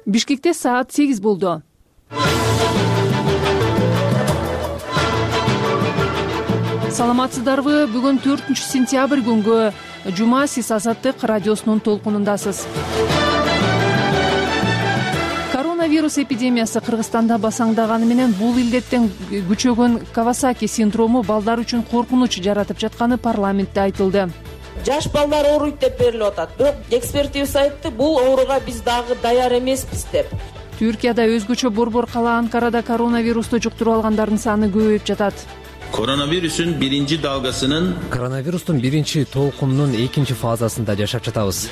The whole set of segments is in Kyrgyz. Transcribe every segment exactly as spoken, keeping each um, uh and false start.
Бишкекте саат сегиз болду. Саламатсыздарбы? Бүгүн төртүнчү сентябрь күнгө жума, сиз Азаттык радиосунун толкунундасыз. Коронавирус эпидемиясы Кыргызстанда басаңдаганы менен бул илдеттен күчөгөн Кавасаки синдрому балдар үчүн коркунуч жаратып жатканы парламентте айтылды. Жаш балдар ооруйт деп берилип атат. Бирок экспертибиз айтты, бул ооруга биз дагы даяр эмеспиз деп. Түркияда өзгөчө борбор кала Анкарада коронавирусту жуктуруп алгандардын саны көбөйүп жатат. Коронавирустун биринчи далгасынын Коронавирустун биринчи толкунунун экинчи фазасында жашап жатабыз.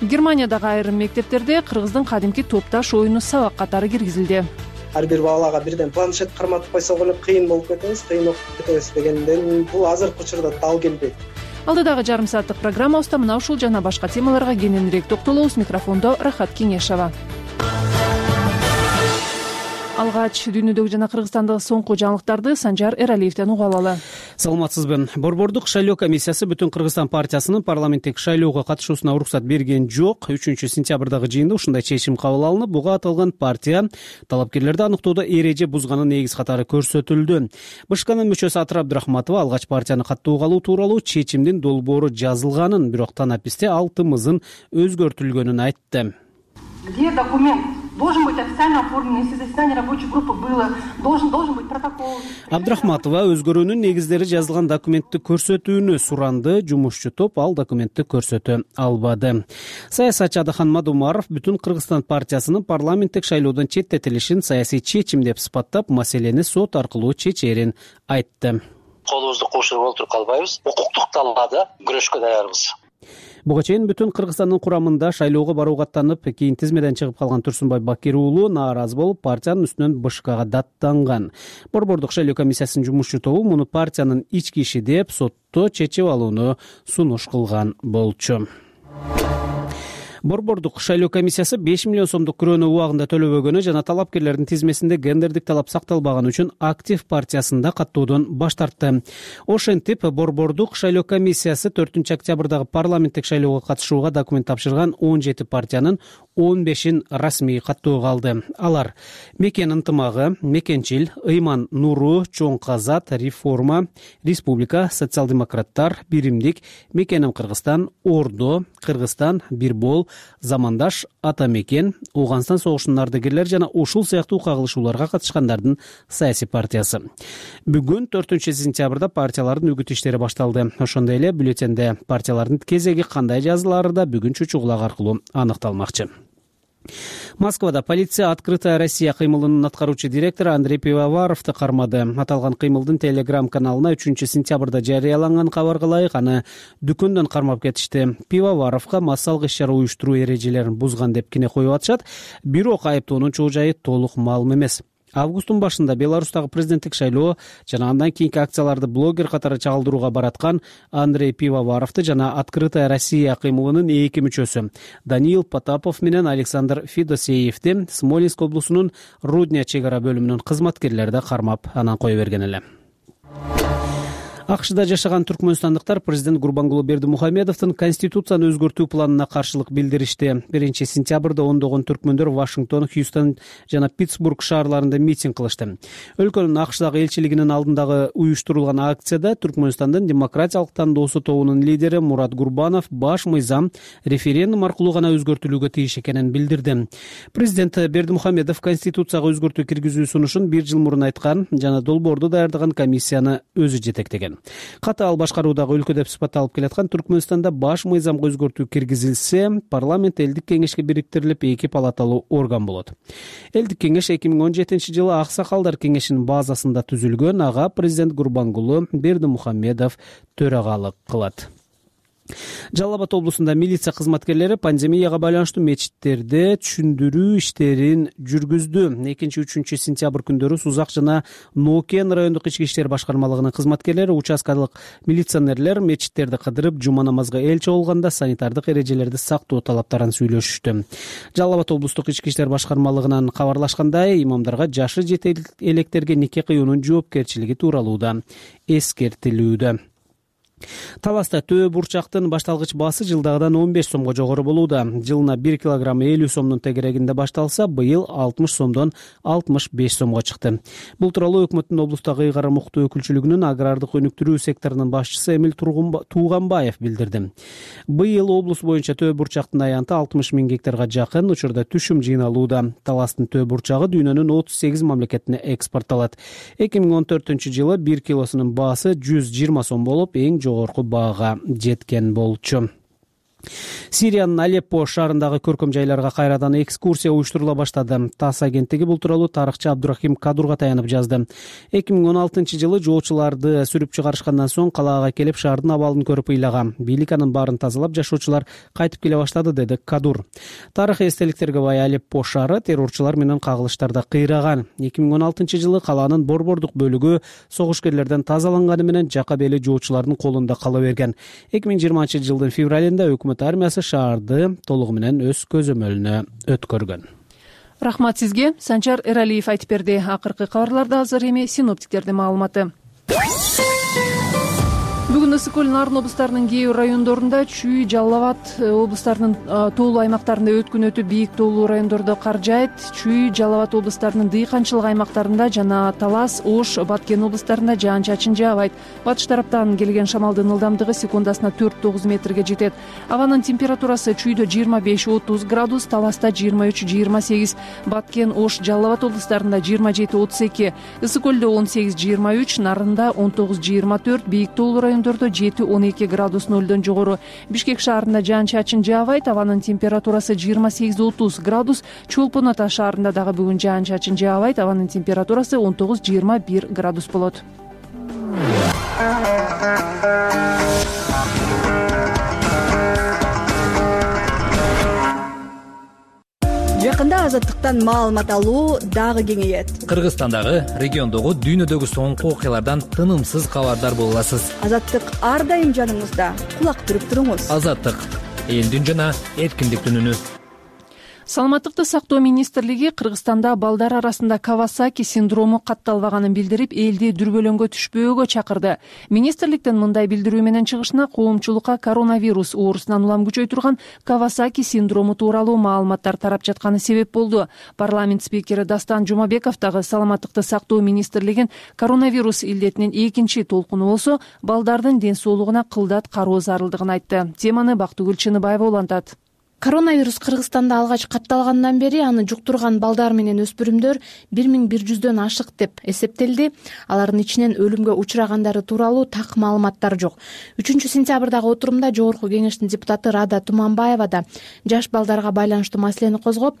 Германиядагы айрым мектептерде кыргыздын кадимки топташ оюну сабак катары киргизилди. Ар бир балага бирден планшет карматып койсок эле кыйын болуп кетебиз, кыйын окуп кетебиз дегенден бул азыркы учурда дал келбейт. Алдыдагы жарым сааттык программабызда мына ушул жана башка темаларга кененирээк токтолобуз. Микрофондо Рахат Кеңешова. Алгач дүйнөдөгү жана Кыргызстандагы соңку жаңылыктарды Санжар Эралиевден угуп алалы. Саламатсызбы? Борбордук шайлоо комиссиясы Бүтүн Кыргызстан партиясынын парламенттик шайлоого катышуусуна уруксат берген жок. үчүнчү сентябрдагы жыйында ушундай чечим кабыл алынып, буга аталган партия талапкерлерди аныктоодо эреже бузганын негиз катары көрсөтүлдү. БШКнын мүчөсү Атыр Абдрахматова алгач партияны каттоого алуу тууралуу чечимдин долбоору жазылганын, бирок танаписте алтымызын өзгөртүлгөнүн айтты. Где документ? Должен быть официально оформлен, если заседание рабочей группы было, должен, должен быть протокол. Абдрахматова өзгөрүүнүн негиздери жазылган документти көрсөтүүнү суранды, жумушчу топ ал документти көрсөтө албады. Саясатчы Адахан Мадумаров Бүтүн Кыргызстан партиясынын парламенттик шайлоодон четтетилишин саясий чечим деп сыпаттап, маселени сот аркылуу чечерин айтты. Колубузду кошуруп олтуруп калбайбыз, укуктук талаада күрөшкө даярбыз. Буга чейин Бүтүн Кыргызстандын курамында шайлоого барууга аттанып, кийин тизмеден чыгып калган Турсунбай Бакир уулу нааразы болуп, партиянын үстүнөн БШКга даттанган. Борбордук шайлоо комиссиясынын жумушчу тобу муну партиянын ички иши деп сотто чечип алууну сунуш кылган болчу. Борбордук шайлоо комиссиясы беш миллион сомдук күрөөнү убагында төлөбөгөнү жана талапкерлердин тизмесинде гендердик талап сакталбаганы үчүн актив партиясында каттоодон баш тартты. Ошентип, Борбордук шайлоо комиссиясы төртүнчү октябрдагы парламенттик шайлоого катышууга документ тапшырган он жети партиянын он бешин расмий каттоого алды. Алар: Мекен ынтымагы, Мекенчил, Ыйман Нуру, Чоң Казат, Реформа, Республика, Социал-демократтар, Биримдик, Мекеним Кыргызстан, Ордо, Кыргызстан, Бирбол, Замандаш, Ата Мекен, Ооганстан согушунун ардагерлери жана ушул сыяктуу кагылышууларга катышкандардын саясий партиясы. Бүгүн төртүнчү сентябрда партиялардын үгүт иштери башталды. Ошондой эле бюллетенде партиялардын кезеги кандай жазылаары да бүгүн чучугулак аркылуу аныкталмакчы. Москвада полиция «Открытая Россия» кыймылынын аткаруучу директору Андрей Пивоваровду кармады. Аталган кыймылдын Телеграм каналына үчүнчү сентябрда жарыяланган кабарга ылайык аны дүкөндөн кармап кетишти. Пивоваровго массалык иш-чара уюштуруу эрежелерин бузган деп кине коюп атышат. Бирок айыптоонун чоо жайы толук маалым эмес. Августтун башында Беларустагы президенттик шайлоо жана андан кийинки акцияларды блогер катары чагылдырууга бараткан Андрей Пивоваровду жана «Открытая Россия» кыймылынын эки мүчөсү Даниил Потапов менен Александр Федосеевди Смоленск облусунун Рудня чек ара бөлүмүнүн кызматкерлери да кармап, анан кое берген эле. АКШда жашаган түркмөнстандыктар президент Гурбангулы Бердимухамедовдун конституцияны өзгөртүү планына каршылык билдиришти. биринчи сентябрда ондогон түркмөндөр Вашингтон, Хьюстон жана Питтсбург шаарларында митинг кылышты. Өлкөнүн АКШдагы элчилигинин алдындагы уюштурулган акцияда Түркмөнстандын демократиялык тандоосу тобунун лидери Мурат Гурбанов баш мыйзам референдум аркылуу гана өзгөртүлүүгө тийиш экенин билдирди. Президент Бердимухамедов конституцияга өзгөртүү киргизүү сунушун бир жыл мурун айткан жана долбоорду даярдаган комиссияны өзү жетектеген. Катаал башкаруудагы өлкө деп сыпатталып келаткан Түркмөнстанда баш мыйзамга өзгөртүү киргизилсе, парламент элдик кеңешке бириктирилип эки палаталуу орган болот. Элдик кеңеш эки миң он жетинчи жылы Аксакалдар кеңешинин базасында түзүлгөн, ага президент Гурбангулы Бердимухамедов төрагалык кылат. Жалал Абад облусунда милиция кызматкерлери пандемияга байланыштуу мечиттерде түшүндүрүү иштерин жүргүздү. экинчи үчүнчү сентябрь күндөрү Сузак жана Нокен райондук ички иштер башкармалыгынын кызматкерлери, участкалык милиционерлер мечиттерди кыдырып, жума намазга эл чогулганда санитардык эрежелерди сактоо талаптарын сүйлөшүштү. Жалал Абад облустук ички иштер башкармалыгынан кабарлашкандай, имамдарга жашы жете электерге нике кыюунун жоопкерчилиги тууралуу да эскертилүүдө. Таласта төбө бурчактын башталгыч баасы жылдагыдан он беш сомго жогору болууда. Жылына бир килограмм элүү сомдун тегерегинде башталса, быйыл алтымыш сомдон алтымыш беш сомго чыкты. Бул тууралуу өкмөттүн облустагы ыйгарым укуктуу өкүлчүлүгүнүн агрардык өнүктүрүү секторунун башчысы Эмил Тууганбаев билдирди. Быйыл облус боюнча төбө бурчактын аянты алтымыш миң гектарга жакын учурда түшүм жыйналууда. Таластын төбө бурчагы дүйнөнүн отуз сегиз мамлекетине экспортталат. эки миң он төртүнчү жылы бир килосунун баасы жүз жыйырма сом болуп, эң жогорку баага жеткен болчу. Сириянын Алеппо шаарындагы көркөм жайларга кайрадан экскурсия уюштурула баштады. ТАСС агенттиги бул тууралуу тарыхчы Абдурахим Кадурга таянып жазды. эки миң он алтынчы жылы жолчуларды сүрүп чыгарышкандан соң калаага келип шаардын абалын көрүп ыйлаган. Бийлик анын баарын тазалап, жашоочулар кайтып келе баштады, деди Кадур. Тарых эстеликтерге бай Алеппо шаары террорчулар менен кагылыштарда кыйраган. эки миң он алтынчы жылы калаанын борбордук бөлүгү согушкерлерден тазаланганы менен жака бели жолчулардын колунда кала берген. эки миң жыйырманчы жылдын февралында өкмөт армиясы шаарды толугу менен өз көзөмөлүнө өткөргөн. Рахмат сизге. Санчар Эралиев айтып берди. Акыркы кабарларда азыр эми синоптиктердин маалыматы. Бүгүн ысык көл нарын облустарынын кээ бир райондорунда, Чүй, Жалал Абад облустарынын тоолуу аймактарында өткүн өтүп, бийик тоолуу райондордо кар жаайт. Чүй, Жалал Абад облустарынын дыйканчылык аймактарында жана Талас, Ош, Баткен облустарында жаан-чачын жаабайт. Батыш тараптан келген шамалдын ылдамдыгы секундасына төрт тогуз метрге жетет. Абанын температурасы Чүйдө жыйырма беш отуз градус, Таласта жыйырма үч жыйырма сегиз, Баткен, Ош, Жалал Абад облустарында жыйырма жети отуз эки, ысык көлдө он сегиз жыйырма үч, Нарында он тогуз жыйырма төрт, бийик тоолуу райондордо жети он эки градус нөлдөн жогору. Бишкек шаарында жаан-чачын жаабайт, абанын температурасы жыйырма сегиз отуз градус. Чолпон Ата шаарында дагы бүгүн жаан-чачын жаабайт, абанын температурасы он тогуз жыйырма бир градус болот. Жакында азаттыктан маалымат алуу дагы кеңейет. Кыргызстандагы, региондогу, дүйнөдөгү соңку окуялардан тынымсыз кабардар боло аласыз. Азаттык ар дайым жаныңызда. Кулак түрүп туруңуз. Азаттык — элдин жана эркиндиктин үнү. Саламаттыкты сактоо министрлиги Кыргызстанда балдар арасында Кавасаки синдрому катталбаганын билдирип, элди дүрбөлөңгө түшпөөгө чакырды. Министрликтин мындай билдирүү менен чыгышына коомчулукка коронавирус оорусунан улам күчөй турган Кавасаки синдрому тууралуу маалыматтар тарап жатканы себеп болду. Парламент спикери Дастан Жумабеков дагы саламаттыкты сактоо министрлигин коронавирус илдетинин экинчи толкуну болсо, балдардын ден соолугуна кылдат кароо зарылдыгын айтты. Теманы Бактыгүл Чыныбаева улантат. Коронавирус Кыргызстанда алгач катталгандан бери аны жуктурган балдар менен өспүрүмдөр бир миң бир жүздөн ашык деп эсептелди. Алардын ичинен өлүмгө учурагандары тууралуу так маалыматтар жок. үчүнчү сентябрдагы отурумда Жогорку Кеңештин депутаты Рада Туманбаева да жаш балдарга байланыштуу маселени козгоп,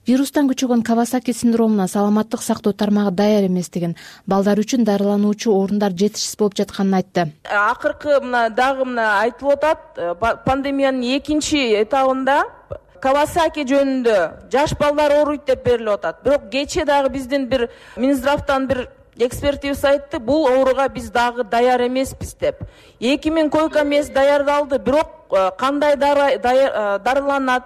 вирустан күчөгөн Кавасаки синдромуна саламаттык сактоо тармагы даяр эместигин, балдар үчүн дарылануучу орундар жетишсиз болуп жатканын айтты. Акыркы мына дагы мына айтылып атат, пандемиянын экинчи этабында Кавасаки жөнүндө жаш балдар ооруйт деп берилип атат. Бирок кечээ дагы биздин бир Минздравтан бир экспертибиз айтты, бул ооруга биз дагы даяр эмеспиз деп. эки миң койка мест даярдалды, бирок кандай дарыланат,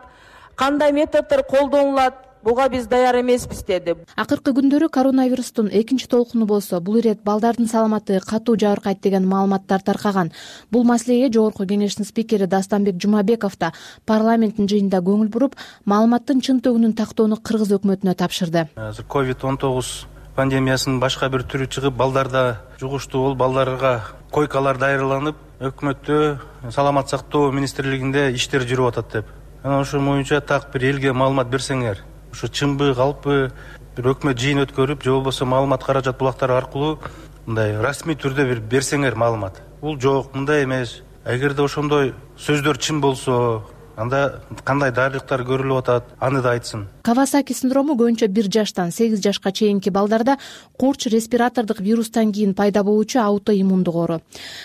кандай методдор колдонулат, буга биз даяр эмеспиз деди. Акыркы күндөрү коронавирустун экинчи толкуну болсо, бул ирет балдардын саламаты катуу жабыркайт деген маалыматтар таркаган. Бул маселеге Жогорку Кеңештин спикери Дастанбек Жумабеков да парламенттин жыйынында көңүл буруп, маалыматтын чын төгүнүн тактоону кыргыз өкмөтүнө тапшырды. Азыр ковид он тогуз пандемиясынын башка бир түрү чыгып, балдарда жугуштуу болуп, балдарга койкалар даярланып, өкмөттө саламат сактоо министрлигинде иштер жүрүп атат деп. Анан ошо боюнча так бир элге маалымат берсеңер, ушу чынбы, калппы, бир өкмөт жыйын өткөрүп, же болбосо маалымат каражат булактары аркылуу мындай расмий түрдө бир берсеңер маалымат. Бул жок, мындай эмес. Эгерде ошондой сөздөр чын болсо, анда кандай дарылыктар көрүлүп атат, аны да айтсын. Кавасаки синдрому көбүнчө бир жаштан сегиз жашка чейинки балдарда корч респиратордук вирустан кийин пайда болуучу аутоиммундук оору.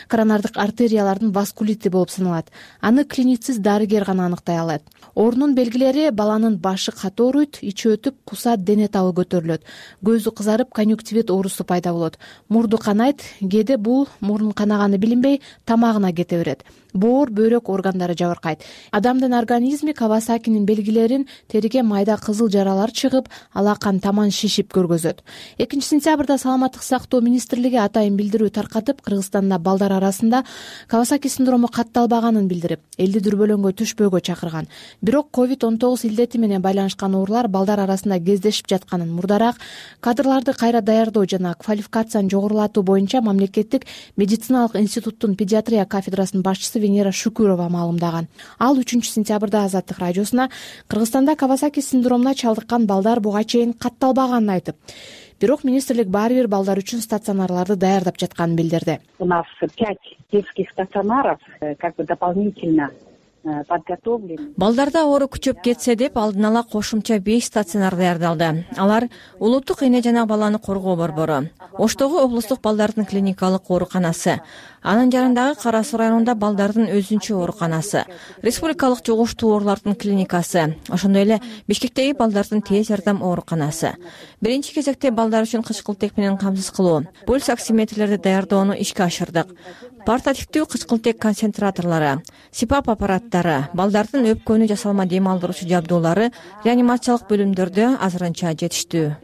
Коронардык артериялардын васкулити болуп саналат. Аны клиницист дарыгер гана аныктай алат. Оорунун белгилери: баланын башы катуу ооруйт, ичи өтүп, кусат, дене табы көтөрүлөт, көзү кызарып, конъюнктивит оорусу пайда болот, мурду канайт, кээде бул мурун канаганы билинбей тамагына кете берет. боор, бөйрөк органдары жабыркайт. Адамдын организми Кавасакинин белгилерин териге майда кызыл жаралар чыгып, алакан таман шишип көргөзөт. экинчи сентябрда Саламаттык сактоо министрлиги атайын билдирүү таркатып, Кыргызстанда балдар арасында Кавасаки синдрому катталбаганын билдирип, элди дүрбөлөңгө түшпөөгө чакырган. Бирок ковид он тогуз илдети менен байланышкан оорулар балдар арасында кездешип жатканын, мурдараак кадрларды кайра даярдоо жана квалификацияны жогорулатуу боюнча Мамлекеттик медициналык институттун педиатрия кафедрасынын башчысы Венера Шукурова маалымдаган. Ал үчүнчү сентябрда Азаттык радиосуна Кыргызстанда Кавасаки синдромуна чалдыккан балдар буга чейин катталбаганын айтып, бирок министрлик баары бир балдар үчүн стационарларды даярдап жатканын билдирди. У нас пять детских стационаров, как бы дополнительно подготовлены. Балдарда оору күчөп кетсе деп алдын ала кошумча беш стационар даярдалды. Алар Улуттук эне жана баланы коргоо борбору, Оштогу облустук балдардын клиникалык ооруканасы, анын жарандагы Кара Суу районунда балдардын өзүнчө ооруканасы, республикалык жугуштуу оорулардын клиникасы, ошондой эле Бишкектеги балдардын тез жардам ооруканасы. Биринчи кезекте балдар үчүн кычкылтек менен камсыз кылуу, пульс оксиметрлерди даярдоону ишке ашырдык. Портативдүү кычкылтек концентраторлору, сипап аппараттары, балдардын өпкөнү жасалма дем алдыруучу жабдуулары реанимациялык бөлүмдөрдө азырынча жетиштүү.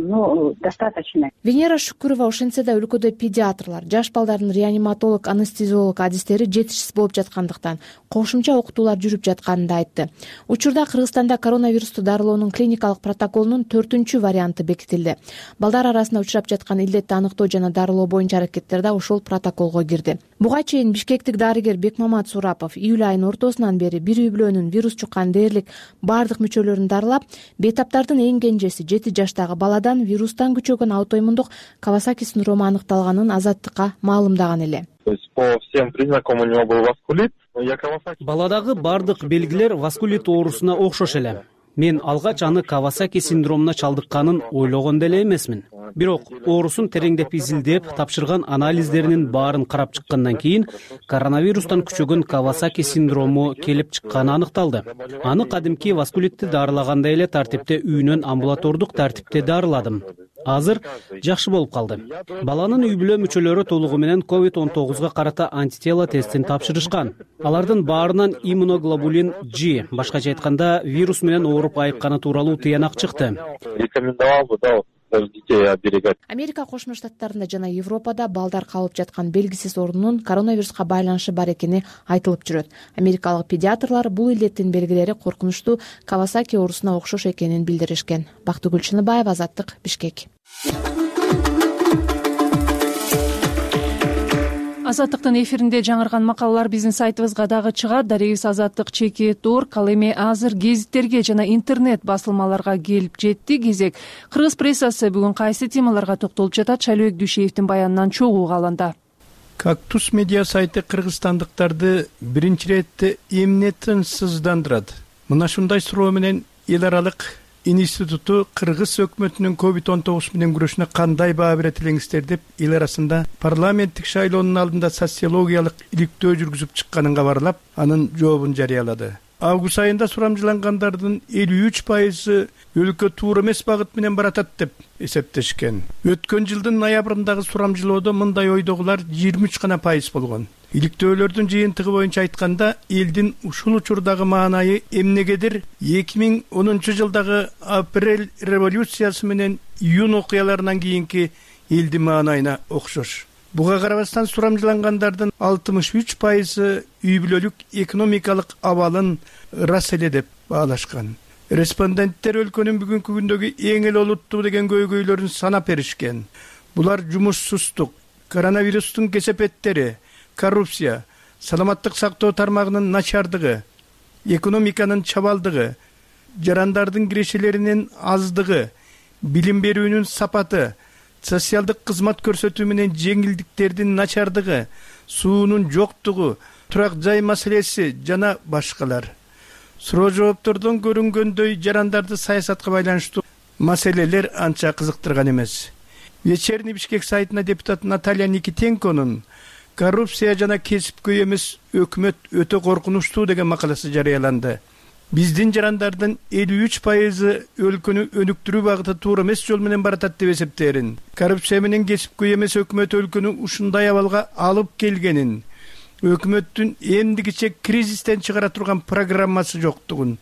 Ну, достаточно. Венера Шукурова ошентсе да өлкөдө педиатрлар, жаш балдардын реаниматолог, анестезиолог адистери жетишсиз болуп жаткандыктан кошумча окутуулар жүрүп жатканын да айтты. Учурда Кыргызстанда коронавирусту дарылоонун клиникалык протоколунун төртүнчү варианты бекитилди. Балдар арасында учурап жаткан илдетти аныктоо жана дарылоо боюнча аракеттер да ошол протоколго кирди. Буга чейин бишкектик дарыгер Бекмамат Сурапов июль айынын ортосунан бери бир үй бүлөнүн вирус жуккан дээрлик бардык мүчөлөрүн дарылап, бейтаптардын эң кенжеси жети жаштагы баладан вирустан күчөгөн аутоиммундук Кавасаки синдрому аныкталганын Азаттыкка маалымдаган эле. То есть по всем признакам у него был васкулит. Баладагы бардык белгилер васкулит оорусуна окшош эле. Мен алгач аны Кавасаки синдромуна чалдыкканын ойлогон деле эмесмин. Бирок оорусун тереңдеп изилдеп, тапшырган анализдеринин баарын карап чыккандан кийин коронавирустан күчөгөн Кавасаки синдрому келип чыкканы аныкталды. Аны кадимки васкулитти дарылагандай эле тартипте үйүнөн амбулатордук тартипте дарыладым. Азыр жакшы болуп калды. Баланын үй бүлө мүчөлөрү толугу менен ковид он тогузга карата антитела тестин тапшырышкан. Алардын баарынан иммуноглобулин G, башкача айтканда вирус менен ооруп айыкканы тууралуу тыянак чыкты. Рекомендовал бы, да, детей оберегать. Америка Кошмо Штаттарында жана Европада балдар калып жаткан белгисиз оорунун коронавируска байланышы бар экени айтылып жүрөт. Америкалык педиатрлар бул илдеттин белгилери коркунучтуу Кавасаки оорусуна окшош экенин билдиришкен. Бактыгүл Чыныбаева, Азаттык, Бишкек. Азаттыктын эфиринде жаңырган макалалар биздин сайтыбызга дагы чыгат. Дарегибиз азаттык чекит точка орг. Ал эми азыр гезиттерге жана интернет басылмаларга келип жетти. Кезек Кыргыз прессасы бүгүн кайсы темаларга токтолуп жатат? Шайлообек Дүйшеевдин баянынан чогуу каланда. Кактус медиа сайты кыргызстандыктарды биринчи иретте эмне тынчсыздандырат? Мына ушундай суроо менен эл аралык институту Кыргыз өкмөтүнүн ковид он тогуз менен күрөшүнө кандай баа берет элеңиздер деп эл арасында парламенттик шайлоонун алдында социологиялык иликтөө жүргүзүп чыкканын кабарлап, анын жообун жарыялады. Август айында сурамжылангандардын элүү үч пайызы өлкө туура эмес багыт менен баратат деп эсептешкен. Өткөн жылдын ноябрындагы сурамжылоодо мындай ойдогулар жыйырма үч гана пайыз болгон. Иликтөөлөрдүн жыйынтыгы боюнча айтканда, элдин ушул учурдагы маанайы эмнегедир эки миң онунчу жылдагы апрель революциясы менен июнь окуяларынан кийинки элдин маанайына окшош. Буга карабастан сурамжылангандардын алтымыш үч пайызы үй бүлөлүк экономикалык абалын ырас эле деп баалашкан. Респонденттер өлкөнүн бүгүнкү күндөгү эң эле олуттуу деген көйгөйлөрүн санап беришкен. Булар жумушсуздук, коронавирустун кесепеттери, коррупция, саламаттык сактоо тармагынын начардыгы, экономиканын чабалдыгы, жарандардын кирешелеринин аздыгы, билим берүүнүн сапаты, социалдык кызмат көрсөтүү менен жеңилдиктердин начардыгы, суунун жоктугу, турак жай маселеси жана башкалар. Суроо жооптордон көрүнгөндөй жарандарды саясатка байланыштуу маселелер анча кызыктырган эмес. Вечерний Бишкек сайтына депутат Наталья Никитенконун коррупция жана кесипкөй эмес өкмөт өтө коркунучтуу деген макаласы жарыяланды. Биздин жарандардын элүү үч пайызы өлкөнү өнүктүрүү багыты туура эмес жол менен баратат деп эсептээрин. Коррупция менен кесипкөй эмес өкмөт өлкөнү ушундай абалга алып келгенин, өкмөттүн эмдигиче кризистен чыгара турган программасы жоктугун,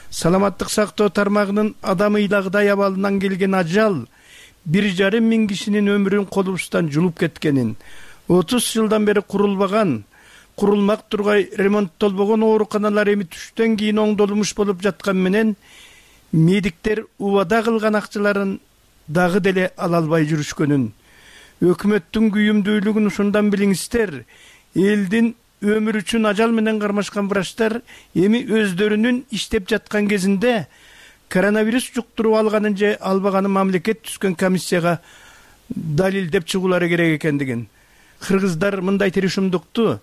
саламаттык сактоо тармагынын адам ыйлагыдай абалынан келген ажал бир жарым миң кишинин өмүрүн колубуздан жулуп кеткенин, отуз жылдан бери курулбаган, курулмак тургай ремонттолбогон ооруканалар эми түштөн кийин оңдолмуш болуп жаткан менен медиктер убада кылган акчаларын дагы деле ала албай жүрүшкөнүн, өкмөттүн күйүмдүүлүгүн ушундан билиңиздер. Элдин өмүр үчүн ажал менен кармашкан врачтар эми өздөрүнүн иштеп жаткан кезинде коронавирус жуктуруп алганын же албаганын мамлекет түзгөн комиссияга далилдеп чыгуулары керек экендигин. Кыргыздар мындай тирешимдукту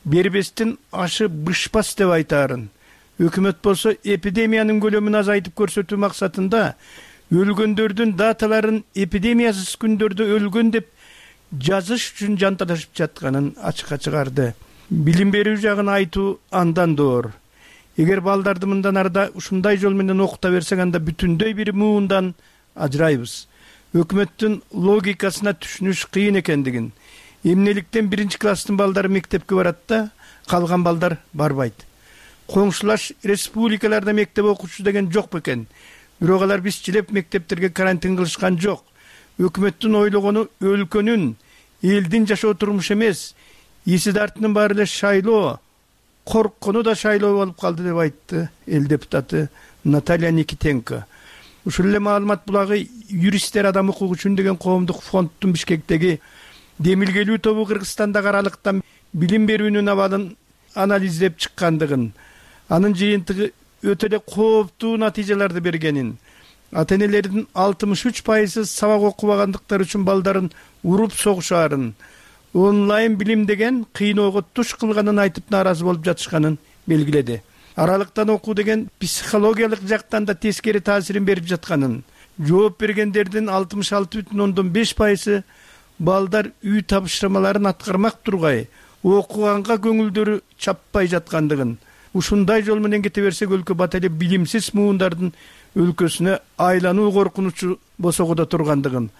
бербестин ашы бышпас деп айтаарын. Өкмөт болсо эпидемиянын көлөмүн азайтып көрсөтүү максатында өлгөндөрдүн даталарын эпидемиясыз күндөрдө өлгөн деп жазыш үчүн жанталашып жатканын ачыкка чыгарды. Билим берүү жагын айтуу андан доор. Эгер балдарды мындан арда ушундай жол менен окута берсең, анда бүтүндөй бир муундан ажырайбыз. Өкмөттүн логикасына түшүнүш кыйын экендигин, эмнеликтен биринчи класстын балдары мектепке барат да, калган балдар барбайт. Коңшулаш республикаларда мектеп окуучу деген жок бекен. Бирок алар бизчилеп мектептерге карантин кылышкан жок. Өкмөттүн ойлогону өлкөнүн, элдин жашоо турмуш эмес, эси дартынын баары эле шайлоо, корккону да шайлоо болуп калды деп айтты эл депутаты Наталья Никитенко. Ушул эле маалымат булагы юристтер адам укугу үчүн деген коомдук фонддун Бишкектеги демилгелүү тобу Кыргызстандагы аралыктан билим берүүнүн абалын анализдеп чыккандыгын, анын жыйынтыгы өтө эле кооптуу натыйжаларды бергенин, ата-энелердин алтымыш үч пайызы сабак окубагандыктары үчүн балдарын уруп согушаарын, онлайн билим деген кыйноого туш кылганын айтып нааразы болуп жатышканын белгиледи. Аралыктан окуу деген психологиялык жактан да тескери таасирин берип жатканын, жооп бергендердин алтымыш алты бүтүн ондон беш пайызы балдар үй тапшырмаларын аткармак тургай, окуганга көңүлдөрү чаппай жаткандыгын, ушундай жол менен кете берсек өлкө бат эле билимсиз муундардын өлкөсүнө айлануу коркунучу босогодо тургандыгын,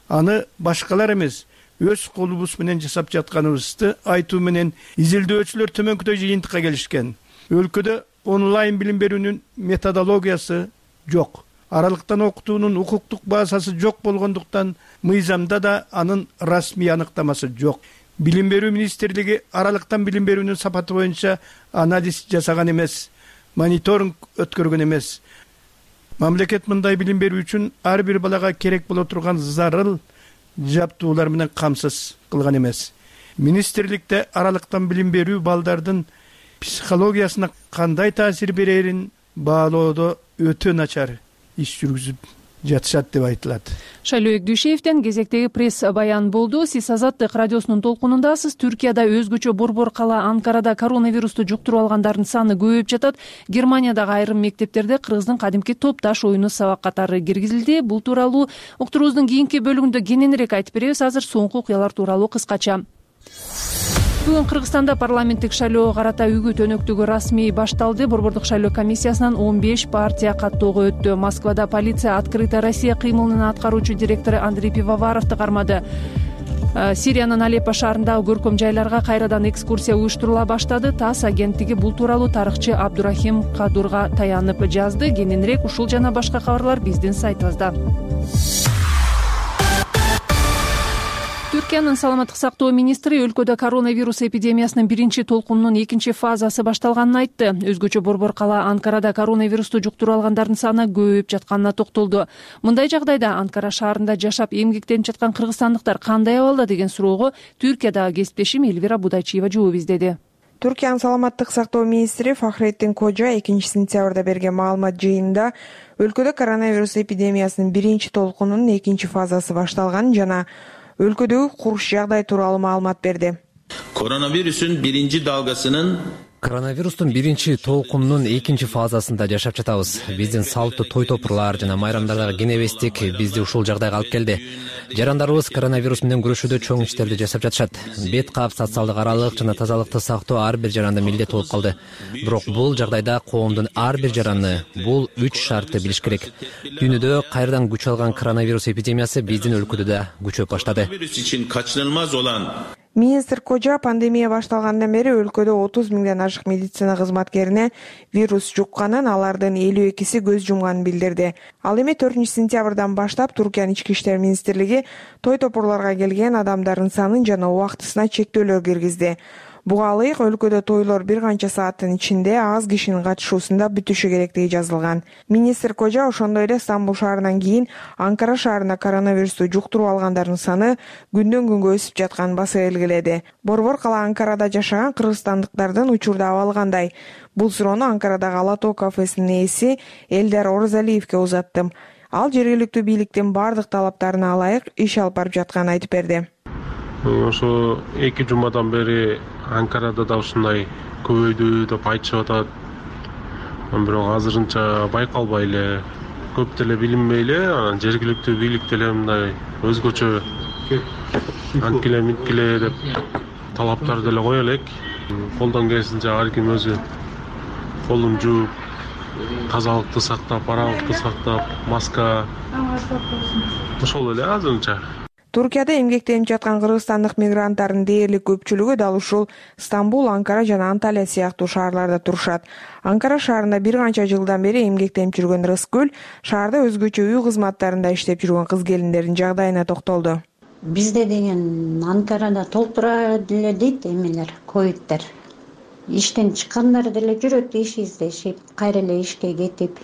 аны башкалар эмес, өз колубуз менен жасап жатканыбызды айтуу менен изилдөөчүлөр төмөнкүдөй жыйынтыкка келишкен. Өлкөдө онлайн билим берүүнүн методологиясы жок. Аралыктан окутуунун укуктук базасы жок болгондуктан мыйзамда да анын расмий аныктамасы жок. Билим берүү министрлиги аралыктан билим берүүнүн сапаты боюнча анализ жасаган эмес, мониторинг өткөргөн эмес. Мамлекет мындай билим берүү үчүн ар бир балага керек боло турган зарыл жаптуулар менен камсыз кылган эмес. Министрликте аралыктан билим берүү балдардын психологиясына кандай таасир берерин баалоодо өтө начар иш жүргүзүп жатышат деп айтылат. Шайлообек Дүйшеевден кезектеги пресс баян болду. Сиз Азаттык радиосунун толкунундасыз. Түркияда өзгөчө борбор кала Анкарада коронавирусту жуктуруп алгандардын саны көбөйүп жатат. Германиядагы айрым мектептерде кыргыздын кадимки топташ оюну сабак катары киргизилди. Бул тууралуу уктуруубуздун кийинки бөлүгүндө кененирээк айтып беребиз. Азыр соңку окуялар тууралуу кыскача. Бүгүн Кыргызстанда парламенттик шайлоого карата үгүт өнөктүгү расмий башталды. Борбордук шайлоо комиссиясынан он беш партия каттоого өттү. Москвада полиция Открытая Россия кыймылынын аткаруучу директору Андрей Пивоваровду кармады. Сириянын Алеппо шаарындагы көркөм жайларга кайрадан экскурсия уюштурула баштады. ТАСС агенттиги бул тууралуу тарыхчы Абдурахим Кадурга таянып жазды. Кененирээк ушул жана башка кабарлар биздин сайтыбызда. Түркиянын саламаттык сактоо министри өлкөдө коронавирус эпидемиясынын биринчи толкунунун экинчи фазасы башталганын айтты. Өзгөчө борбор кала Анкарада коронавирусту жуктуруп алгандардын саны көбөйүп жатканына токтолду. Мындай жагдайда Анкара шаарында жашап эмгектенип жаткан кыргызстандыктар кандай абалда деген суроого Түркиядагы кесиптешим Элвира Будайчиева жооп издеди. Түркиянын саламаттык сактоо министри Фахреттин Кожа экинчи сентябрда берген маалымат жыйынында өлкөдө коронавирус эпидемиясынын биринчи толкунунун экинчи фазасы башталганын жана өлкөдөгү куруш жагдай тууралуу маалымат берди. Коронавирусун биринчи далгасынын Коронавирустун биринчи толкунунун экинчи фазасында жашап жатабыз. Биздин салттуу той топурлар жана майрамдардагы кенебестик бизди ушул жагдайга алып келди. Жарандарыбыз коронавирус менен күрөшүүдө чоң иштерди жасап жатышат. Бет кап, социалдык аралык жана тазалыкты сактоо ар бир жаранда милдет болуп калды. Бирок бул жагдайда коомдун ар бир жараны бул үч шартты билиш керек. Дүйнөдө кайрадан күч алган коронавирус эпидемиясы биздин өлкөдө да күчөп баштады. Virüs için kaçınılmaz olan Министр Кожа пандемия башталгандан бери өлкөдө отуз миңден ашык медицина кызматкерине вирус жукканын, алардын элүү экиси көз жумганын билдирди. Ал эми төртүнчү сентябрдан баштап Туркиянын ички иштер министрлиги той топурларга келген адамдардын санын жана убактысына чектөөлөр киргизди. Буга ылайык өлкөдө тойлор бир канча сааттын ичинде аз кишинин катышуусунда бүтүшү керектиги жазылган. Министр Кожа ошондой эле Стамбул шаарынан кийин Анкара шаарында коронавирусту жуктуруп алгандардын саны күндөн күнгө өсүп жатканын баса белгиледи. Борбор кала Анкарада жашаган кыргызстандыктардын учурда абалы кандай? Бул суроону Анкарадагы Ала Тоо кафесинин ээси Элдар Оразалиевке узаттым. Ал жергиликтүү бийликтин бардык талаптарына ылайык иш алып барып жатканын айтып берди. Ошо эки жумадан бери Анкарада да ушундай көбөйдү деп айтышып атат. Бирок азырынча байкалбай эле, көп деле билинбей эле, анан жергиликтүү бийлик деле мындай өзгөчө анткиле минткиле деп талаптар деле кое элек. Колдон келишинче ар ким өзү колун жууп, тазалыкты сактап, аралыкты сактап, маска ошол эле азырынча. Туркияда эмгектенип жаткан кыргызстандык мигранттардын дээрлик көпчүлүгү дал ушул Стамбул, Анкара жана Анталия сыяктуу шаарларда турушат. Анкара шаарында бир канча жылдан бери эмгектенип жүргөн Рыскүл шаарда өзгөчө үй кызматтарында иштеп жүргөн кыз-келиндердин жагдайына токтолду. Бизде деген Анкарада толтура деле дейт эмелер, ковидтер. Иштен чыккандар деле жүрөт, иш издешип, кайра эле ишке кетип.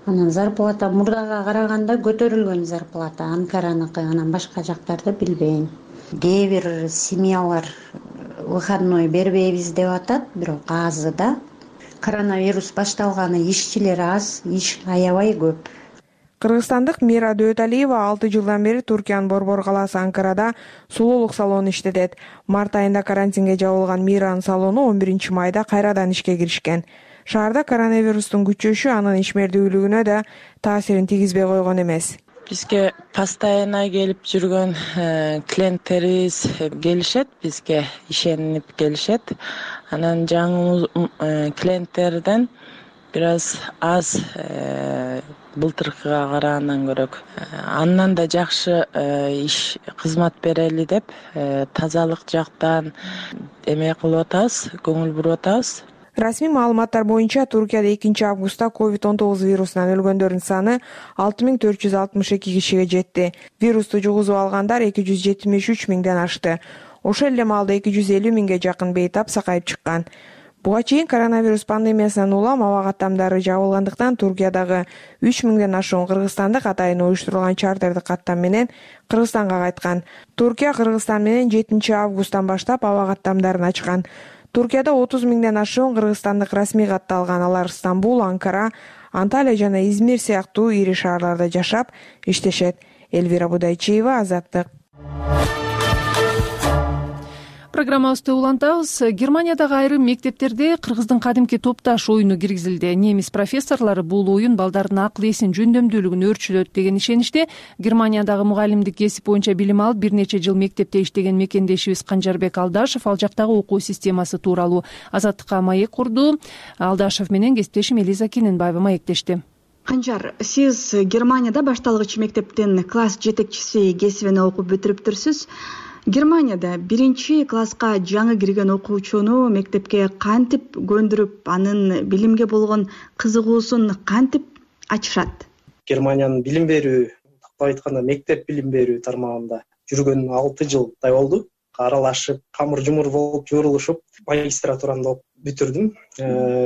Анан зарплата мурдага караганда көтөрүлгөн зарплата Анкараныкы, анан башка жактарды билбейм. Кээ бир семьялар выходной бербейбиз деп атат, бирок азы да. Коронавирус башталганы ишчилер аз, иш аябай көп. Кыргызстандык Мира Дөталиева алты жылдан бери Туркиянын борбор калаасы Анкарада сулуулук салону иштетет. Март айында карантинге жабылган Миранын салону он биринчи майда кайрадан ишке киришкен. Шаарда коронавирустун күчөшү анын ишмердүүлүгүнө да таасирин тийгизбей койгон эмес. Бизге постоянно келип жүргөн клиенттерибиз келишет, бизге ишенип келишет. Анан жаңы клиенттерден бир аз аз былтыркыга карагандан көрөк. Андан да жакшы иш кызмат берели деп тазалык жактан эме кылып атабыз, көңүл буруп атабыз. Расмий маалыматтар боюнча Туркияда экинчи августта ковид он тогуз вирусунан өлгөндөрдүн саны алты миң төрт жүз алтымыш эки кишиге жетти. Вирусту жугузуп алгандар эки жүз жетимиш үч миңден ашты. Ошол эле маалда эки жүз элүү миңге жакын бейтап сакайып чыккан. Буга чейин коронавирус пандемиясынан улам аба каттамдары жабылгандыктан Туркиядагы үч миңден ашуун кыргызстандык атайын уюштурулган чартердик каттам менен Кыргызстанга кайткан. Туркия Кыргызстан менен жетинчи августтан баштап аба каттамдарын ачкан. Туркияда отуз миңден ашуун кыргызстандык расмий катталган. Алар Стамбул, Анкара, Анталия жана Измир сыяктуу ири шаарларда жашап, иштешет. Элвира Будайчиева, Азаттык. Программабызды улантабыз. Германиядагы айрым мектептерде кыргыздын кадимки топташ оюну киргизилди. Немис профессорлору бул оюн балдардын акыл эсин, жөндөмдүүлүгүн өөрчүлөт деген ишеничте. Германиядагы мугалимдик кесип боюнча билим алып, бир нече жыл мектепте иштеген мекендешибиз Канжарбек Алдашев ал жактагы окуу системасы тууралуу Азаттыкка маек курду. Алдашев менен кесиптешим Элиза Кененбаева маектешти. Канжар, сиз Германияда башталгыч мектептин класс жетекчиси кесибине окуп бүтүрүптүрсүз. Германияда биринчи класска жаңы кирген окуучуну мектепке кантип көндүрүп, анын билимге болгон кызыгуусун кантип ачышат? Германиянын билим берүү, тактап айтканда мектеп билим берүү тармагында жүргөн алты жылдай болду. Аралашып, камыр жумур болуп, журулушуп, магистратураны окуп бүтүрдүм.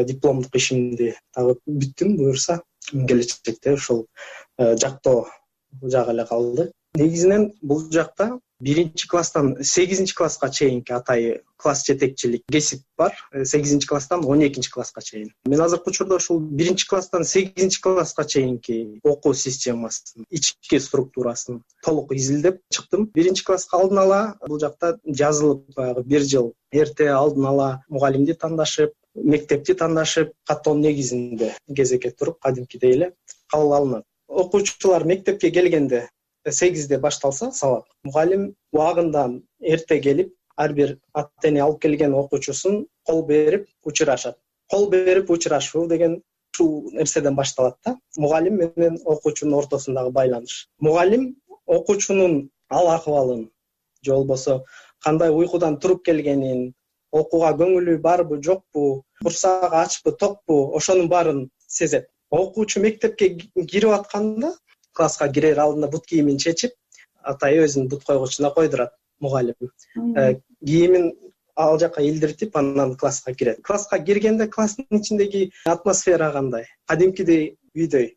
Дипломдук ишимди дагы бүттүм, буюрса келечекте ушул жактоо жагы эле калды. Негизинен бул жакта биринчи класстан сегизинчи класска чейинки атайы класс жетекчилик кесип бар. сегизинчи класстан он экинчи класска чейин. Мен азыркы учурда ушул биринчи класстан сегизинчи класска чейинки окуу системасын, ички структурасын толук изилдеп чыктым. Биринчи класска алдын ала бул жакта жазылып, баягы бир жыл эрте алдын ала мугалимди тандашып, мектепти тандашып, каттоо негизинде кезекке туруп, кадимкидей эле кабыл алынат. Окуучулар мектепке келгенде сегизде башталса сабак, мугалим убагындан эрте келип, ар бир ата-эне алып келген окуучусун кол берип учурашат. Кол берип учурашуу деген ушул нерседен башталат да. Мугалим менен окуучунун ортосундагы байланыш. Мугалим окуучунун ал акыбалын же болбосо кандай уйкудан туруп келгенин, окууга көңүлү барбы жокпу, курсагы ачпы токпу, ошонун баарын сезет. Окуучу мектепке кирип атканда класска кирер алдында бут кийимин чечип, атайы өзүнүн бут койгучуна койдурат мугалим. Кийимин ал жака илдиртип, анан класска кирет. Класска киргенде класстын ичиндеги атмосфера кандай? Кадимкидей үйдөй.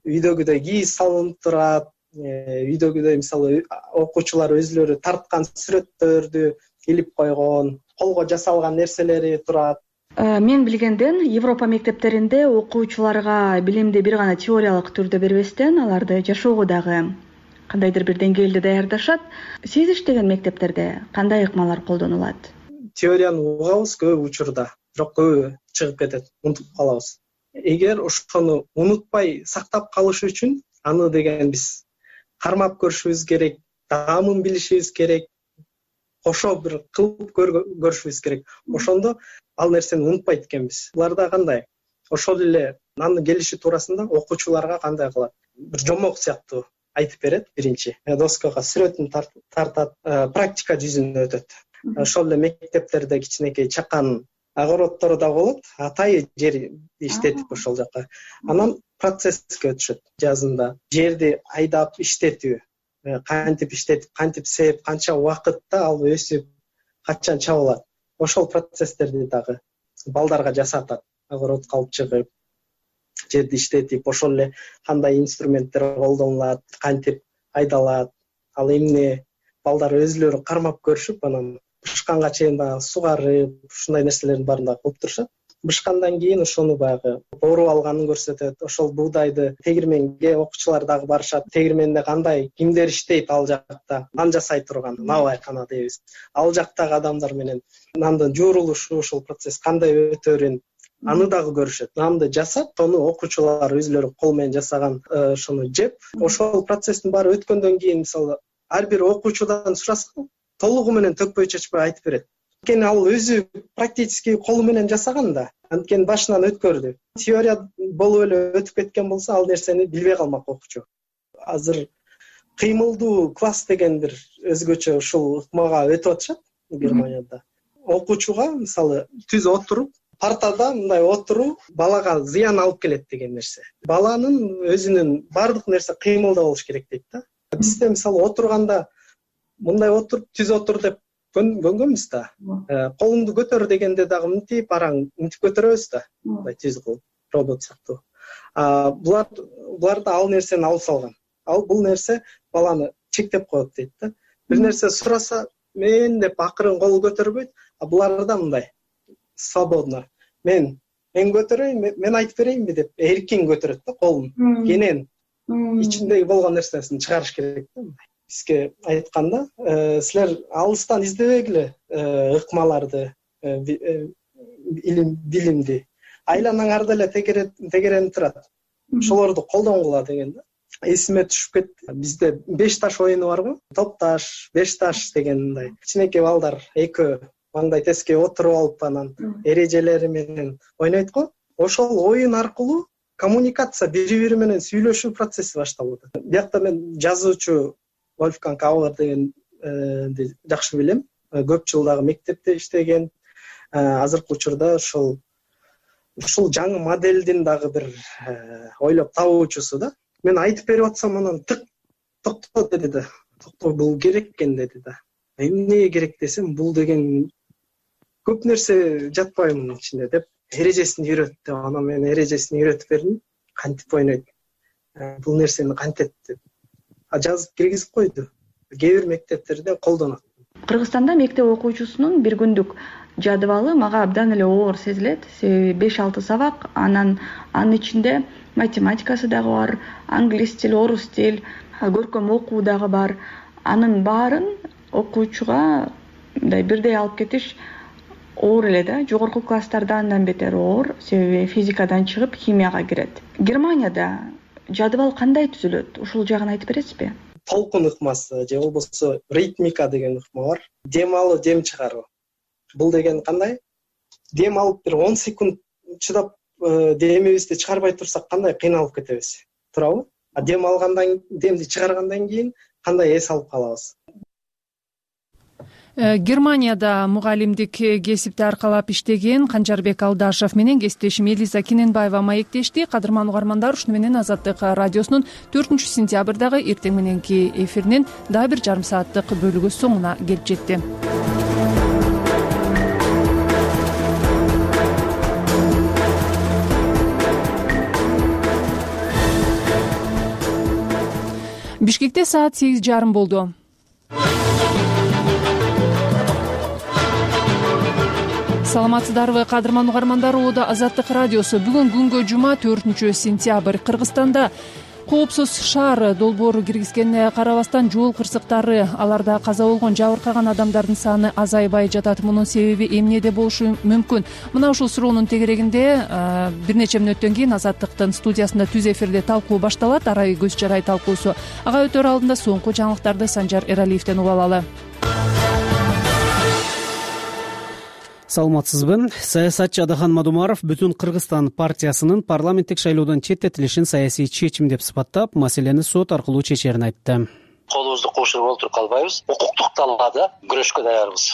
Үйдөгүдөй кийиз салынып турат. Үйдөгүдөй мисалы окуучулар өзлөрү тарткан сүрөттөрдү илип койгон, колго жасалган нерселери турат. Мен билгенден Европа мектептеринде окуучуларга билимди бир гана теориялык түрдө бербестен, аларды жашоого дагы кандайдыр бир деңгээлде даярдашат. Сиз иштеген мектептерде кандай ыкмалар колдонулат? Теорияны угабыз көп учурда, бирок көбү чыгып кетет, унутуп калабыз. Эгер ошону унутпай сактап калыш үчүн аны деген биз кармап көрүшүбүз керек, даамын билишибиз керек, кошо бир кылып көрүшүбүз керек. Ошондо ал нерсени унутпайт экенбиз. Буларда кандай? Ошол эле анын келиши туурасында окуучуларга кандай кылат? Бир жомок сыяктуу айтып берет биринчи. Доскага сүрөтүн тартат, практика жүзүнө өтөт. Ошол эле мектептерде кичинекей чакан огороддор да болот, атайы жер иштетип ошол жака. Анан процесске өтүшөт. Жазында жерди айдап иштетүү, кантип иштетип, кантип сээп, канча убакытта ал өсүп, качан чабылат. Ошол процесстерди дагы балдарга жасатат. Огородко алып чыгып, жерди иштетип, ошол эле кандай инструменттер колдонулат, кантип айдалат, ал эмне, балдар өзлөрү кармап көрүшүп, анан бышканга чейин дагы сугарып, ушундай нерселердин баарын да кылып турушат. Бышкандан кийин ошону баягы оруп алганын көрсөтөт. Ошол буудайды тегирменге окуучулар дагы барышат. Тегирменде кандай, кимдер иштейт ал жакта, нан жасай турган, набайкана дейбиз. Ал жактагы адамдар менен нандын жуурулушу, ошол процесс кандай өтөрүн, аны дагы көрүшөт. Нанды жасап, тону окуучулар өзлөрү кол менен жасаган ошону жеп, ошол процесстин баары өткөндөн кийин мисалы ар бир окуучудан сурасаң, толугу менен төкпөй чечпей айтып берет. Анткени ал өзү практически колу менен жасаган да, анткени башынан өткөрдү. Теория болуп эле өтүп кеткен болсо, ал нерсени билбей калмак окуучу. Азыр кыймылдуу класс деген бир өзгөчө ушул ыкмага өтүп атышат Германияда. Окуучуга мисалы түз отуруп, партада мындай отуруу балага зыян алып келет деген нерсе. Баланын өзүнүн бардык нерсе кыймылда болуш керек дейт да. Бизде мисалы отурганда мындай отуруп, түз отур деп көнгөнбүз да. Колуңду көтөр дегенде дагы мынтип, араң мынтип көтөрөбүз да. Мындай түз кылып, робот сыяктуу. Булар буларда ал нерсени алып салган. Ал бул нерсе баланы чектеп коет дейт да. Бир нерсе сураса, мен деп акырын кол көтөрбөйт, а буларда мындай свободно. Мен мен көтөрөйүн, мен айтып берейинби деп эркин көтөрөт да колун. Кенен ичиндеги болгон нерсесин чыгарыш керек да. Бизге айтканда, силер алыстан издебегиле ыкмаларды, илим, билимди. Айланаңарда эле тегеренип турат. Ошолорду колдонгула деген да. Эсиме түшүп кетти. Бизде беш таш оюну барбы? Топ таш, беш таш дегендей. Кичинекей балдар экөө маңдай теске отуруп алып анан эрежелери менен ойнойт го. Ошол оюн аркылуу коммуникация, бири-бири менен сүйлөшүү процесси башталды. Биякта мен жазуучу Вольфганг Аулер дегенди жакшы билем. Көп жыл дагы мектепте иштеген. Азыркы учурда ушул ушул жаңы моделдин дагы бир ойлоп табуучусу да. Мен айтып берип атсам, анан тык токто деди да. Токто, бул керек экен деди да. Эмне керек десем, бул деген көп нерсе жатпайбы мунун ичинде деп эрежесин үйрөттү. Анан мен эрежесин үйрөтүп бердим. Кантип ойнойт? Бул нерсени кантет деп. А жазып киргизип койду. Кээ бир мектептерде колдонот. Кыргызстанда мектеп окуучусунун бир күндүк жадыбалы мага абдан эле оор сезилет. Себеби беш алты сабак, анан анын ичинде математикасы дагы бар, англис тил, орус тил, көркөм окуу дагы бар. Анын баарын окуучуга мындай бирдей алып кетиш оор эле да. Жогорку класстарда андан бетер оор, себеби физикадан чыгып химияга кирет. Германияда жадыбал кандай түзүлөт? Ушул жагын айтып бересизби? Толкун ыкмасы же болбосо ритмика деген ыкма бар. Дем алуу, дем чыгаруу. Бул деген кандай? Дем алып бир он секунд чыдап демибизди чыгарбай турсак кандай кыйналып кетебиз. Туурабы? А дем алгандан, демди чыгаргандан кийин кандай эс алып калабыз? Германияда мугалимдик кесипти аркалап иштеген Канжарбек Алдашев менен кесиптешим Элиза Кененбаева маектешти. Кадырман угармандар, ушуну менен Азаттык радиосунун төртүнчү сентябрдагы эртең мененки эфиринин дагы бир жарым сааттык бөлүгү соңуна келип жетти. Бишкекте саат сегиз жарым болду. Саламатсыздарбы, кадырман угармандар, Оодо Азаттык радиосу. Бүгүн күнгө жума төртүнчү сентябрь. Кыргызстанда коопсуз шаар долбоору киргизгенине карабастан жол кырсыктары, аларда каза болгон, жабыркаган адамдардын саны азайбай жатат. Мунун себеби эмнеде болушу мүмкүн? Мына ушул суроонун тегерегинде бир нече мүнөттөн кийин Азаттыктын студиясында түз эфирде талкуу башталат. Арай көз жарай талкуусу. Ага өтөр алдында соңку жаңылыктарды Санжар Эралиевден угуп алалы. Саламатсызбы. Саясатчы Адахан Мадумаров Бүтүн Кыргызстан партиясынын парламенттик шайлоодон четтетилишин саясий чечим деп сыпаттап, маселени сот аркылуу чечерин айтты. Колубузду кошуруп олтуруп калбайбыз. Укуктук талаада күрөшкө даярбыз.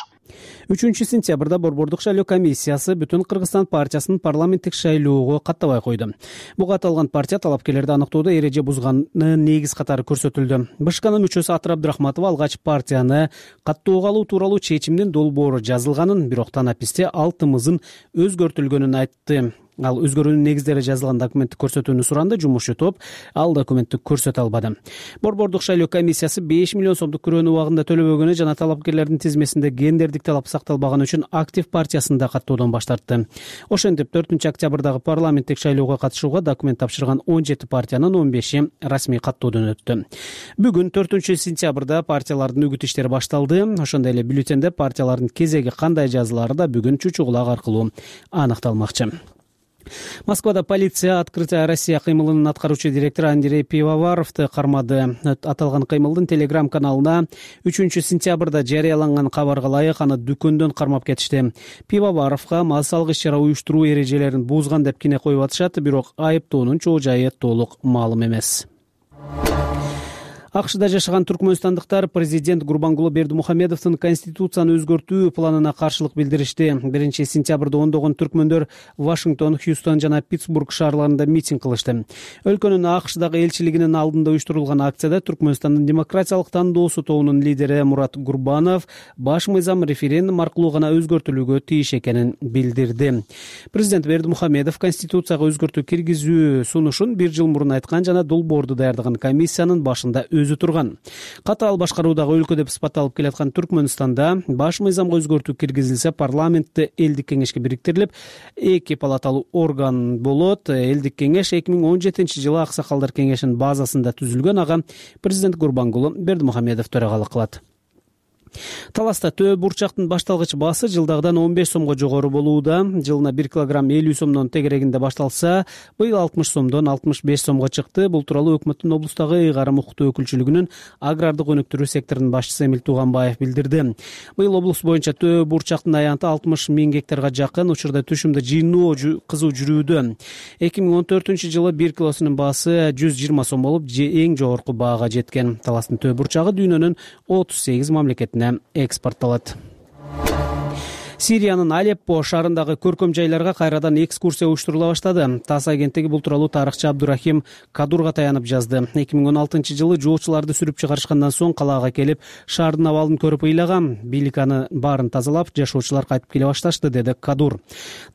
үчүнчү сентябрда Борбордук шайлоо комиссиясы Бүтүн Кыргызстан партиясынын парламенттик шайлоого каттабай койду. Буга аталган партия талапкерлерди аныктоодо эреже бузганын негиз катары көрсөтүлдү. БШКнын мүчөсү Атыр Абдрахматова алгач партияны каттоого алуу тууралуу чечимдин долбоору жазылганын, бирок танаписте ал тымызын өзгөртүлгөнүн айтты. Ал өзгөрүүнүн негиздери жазылган документти көрсөтүүнү суранды. Жумушчу топ ал документти көрсөтө албады. Борбордук шайлоо комиссиясы беш миллион сомдук күрөөнү убагында төлөбөгөнү жана талапкерлердин тизмесинде гендердик талап сакталбаганы үчүн актив партиясында каттоодон баш тартты. Ошентип төртүнчү октябрдагы парламенттик шайлоого катышууга документ тапшырган он жети партиянын он беши расмий каттоодон өттү. Бүгүн төртүнчү сентябрда партиялардын үгүт иштери башталды. Ошондой эле бюллетенде партиялардын кезеги кандай жазылары да бүгүн чучу кулак аркылуу аныкталмакчы. Москвада полиция Открытая Россия кыймылынын аткаруучу директору Андрей Пивоваровду кармады. Аталган кыймылдын телеграм каналына үчүнчү сентябрда жарыяланган кабарга ылайык аны дүкөндөн кармап кетишти. Пивоваровго мал салгыч чара уюштуруу эрежелерин бузган деп кине коюп атышат, бирок айыптоонун чоо жайы толук маалым эмес. АКШда жашаган түркмөнстандыктар президент Гурбангулы Бердимухамедовдун конституцияны өзгөртүү планына каршылык билдиришти. биринчи сентябрда ондогон түркмөндөр Вашингтон, Хьюстон жана Питтсбург шаарларында митинг кылышты. Өлкөнүн АКШдагы элчилигинин алдында уюштурулган акцияда Түркмөнстандын демократиялык тандоосу тобунун лидери Мурат Гурбанов баш мыйзам референдум аркылуу гана өзгөртүлүүгө тийиш экенин билдирди. Президент Бердимухамедов конституцияга өзгөртүү киргизүү сунушун бир жыл мурун айткан жана долбоорду даярдаган комиссиянын башында өзү турган. Катаал башкаруудагы өлкө деп сыпатталып келаткан Түркмөнстанда баш мыйзамга өзгөртүү киргизилсе, парламентте элдик кеңешке бириктирилип, эки палаталуу орган болот. Элдик кеңеш эки миң он жетинчи жылы Аксакалдар кеңешинин базасында түзүлгөн. Ага президент Гурбангулы Бердимухамедов төрагалык кылат. Таласта төө бурчактын башталгыч баасы жылдагыдан он беш сомго жогору болууда. Жылына бир килограмм элүү сомдон тегерегинде башталса, быйыл алтымыш сомдон алтымыш беш сомго чыкты. Бул тууралуу өкмөттүн облустагы ыйгарым укуктуу өкүлчүлүгүнүн агрардык өнүктүрүү секторунун башчысы Эмил Тууганбаев билдирди. Быйыл облус боюнча төө бурчактын аянты алтымыш миң гектарга жакын. Учурда түшүмдө жыйноо кызуу жүрүүдө. эки миң он төртүнчү жылы бир килосунун баасы жүз жыйырма сом болуп, эң жогорку баага жеткен. Таластын төө бурчагы дүйнөнүн отуз сегиз мамлекетине экспортталат. Сириянын Алеппо шаарындагы көркөм жайларга кайрадан экскурсия уюштурула баштады. ТАСС агенттиги бул тууралуу тарыхчы Абдурахим Кадурга таянып жазды. эки миң он алтынчы жылы жоочуларды сүрүп чыгарышкандан соң калаага келип, шаардын абалын көрүп ыйлагам. Бийлик аны баарын тазалап, жашоочулар кайтып келе башташты, деди Кадур.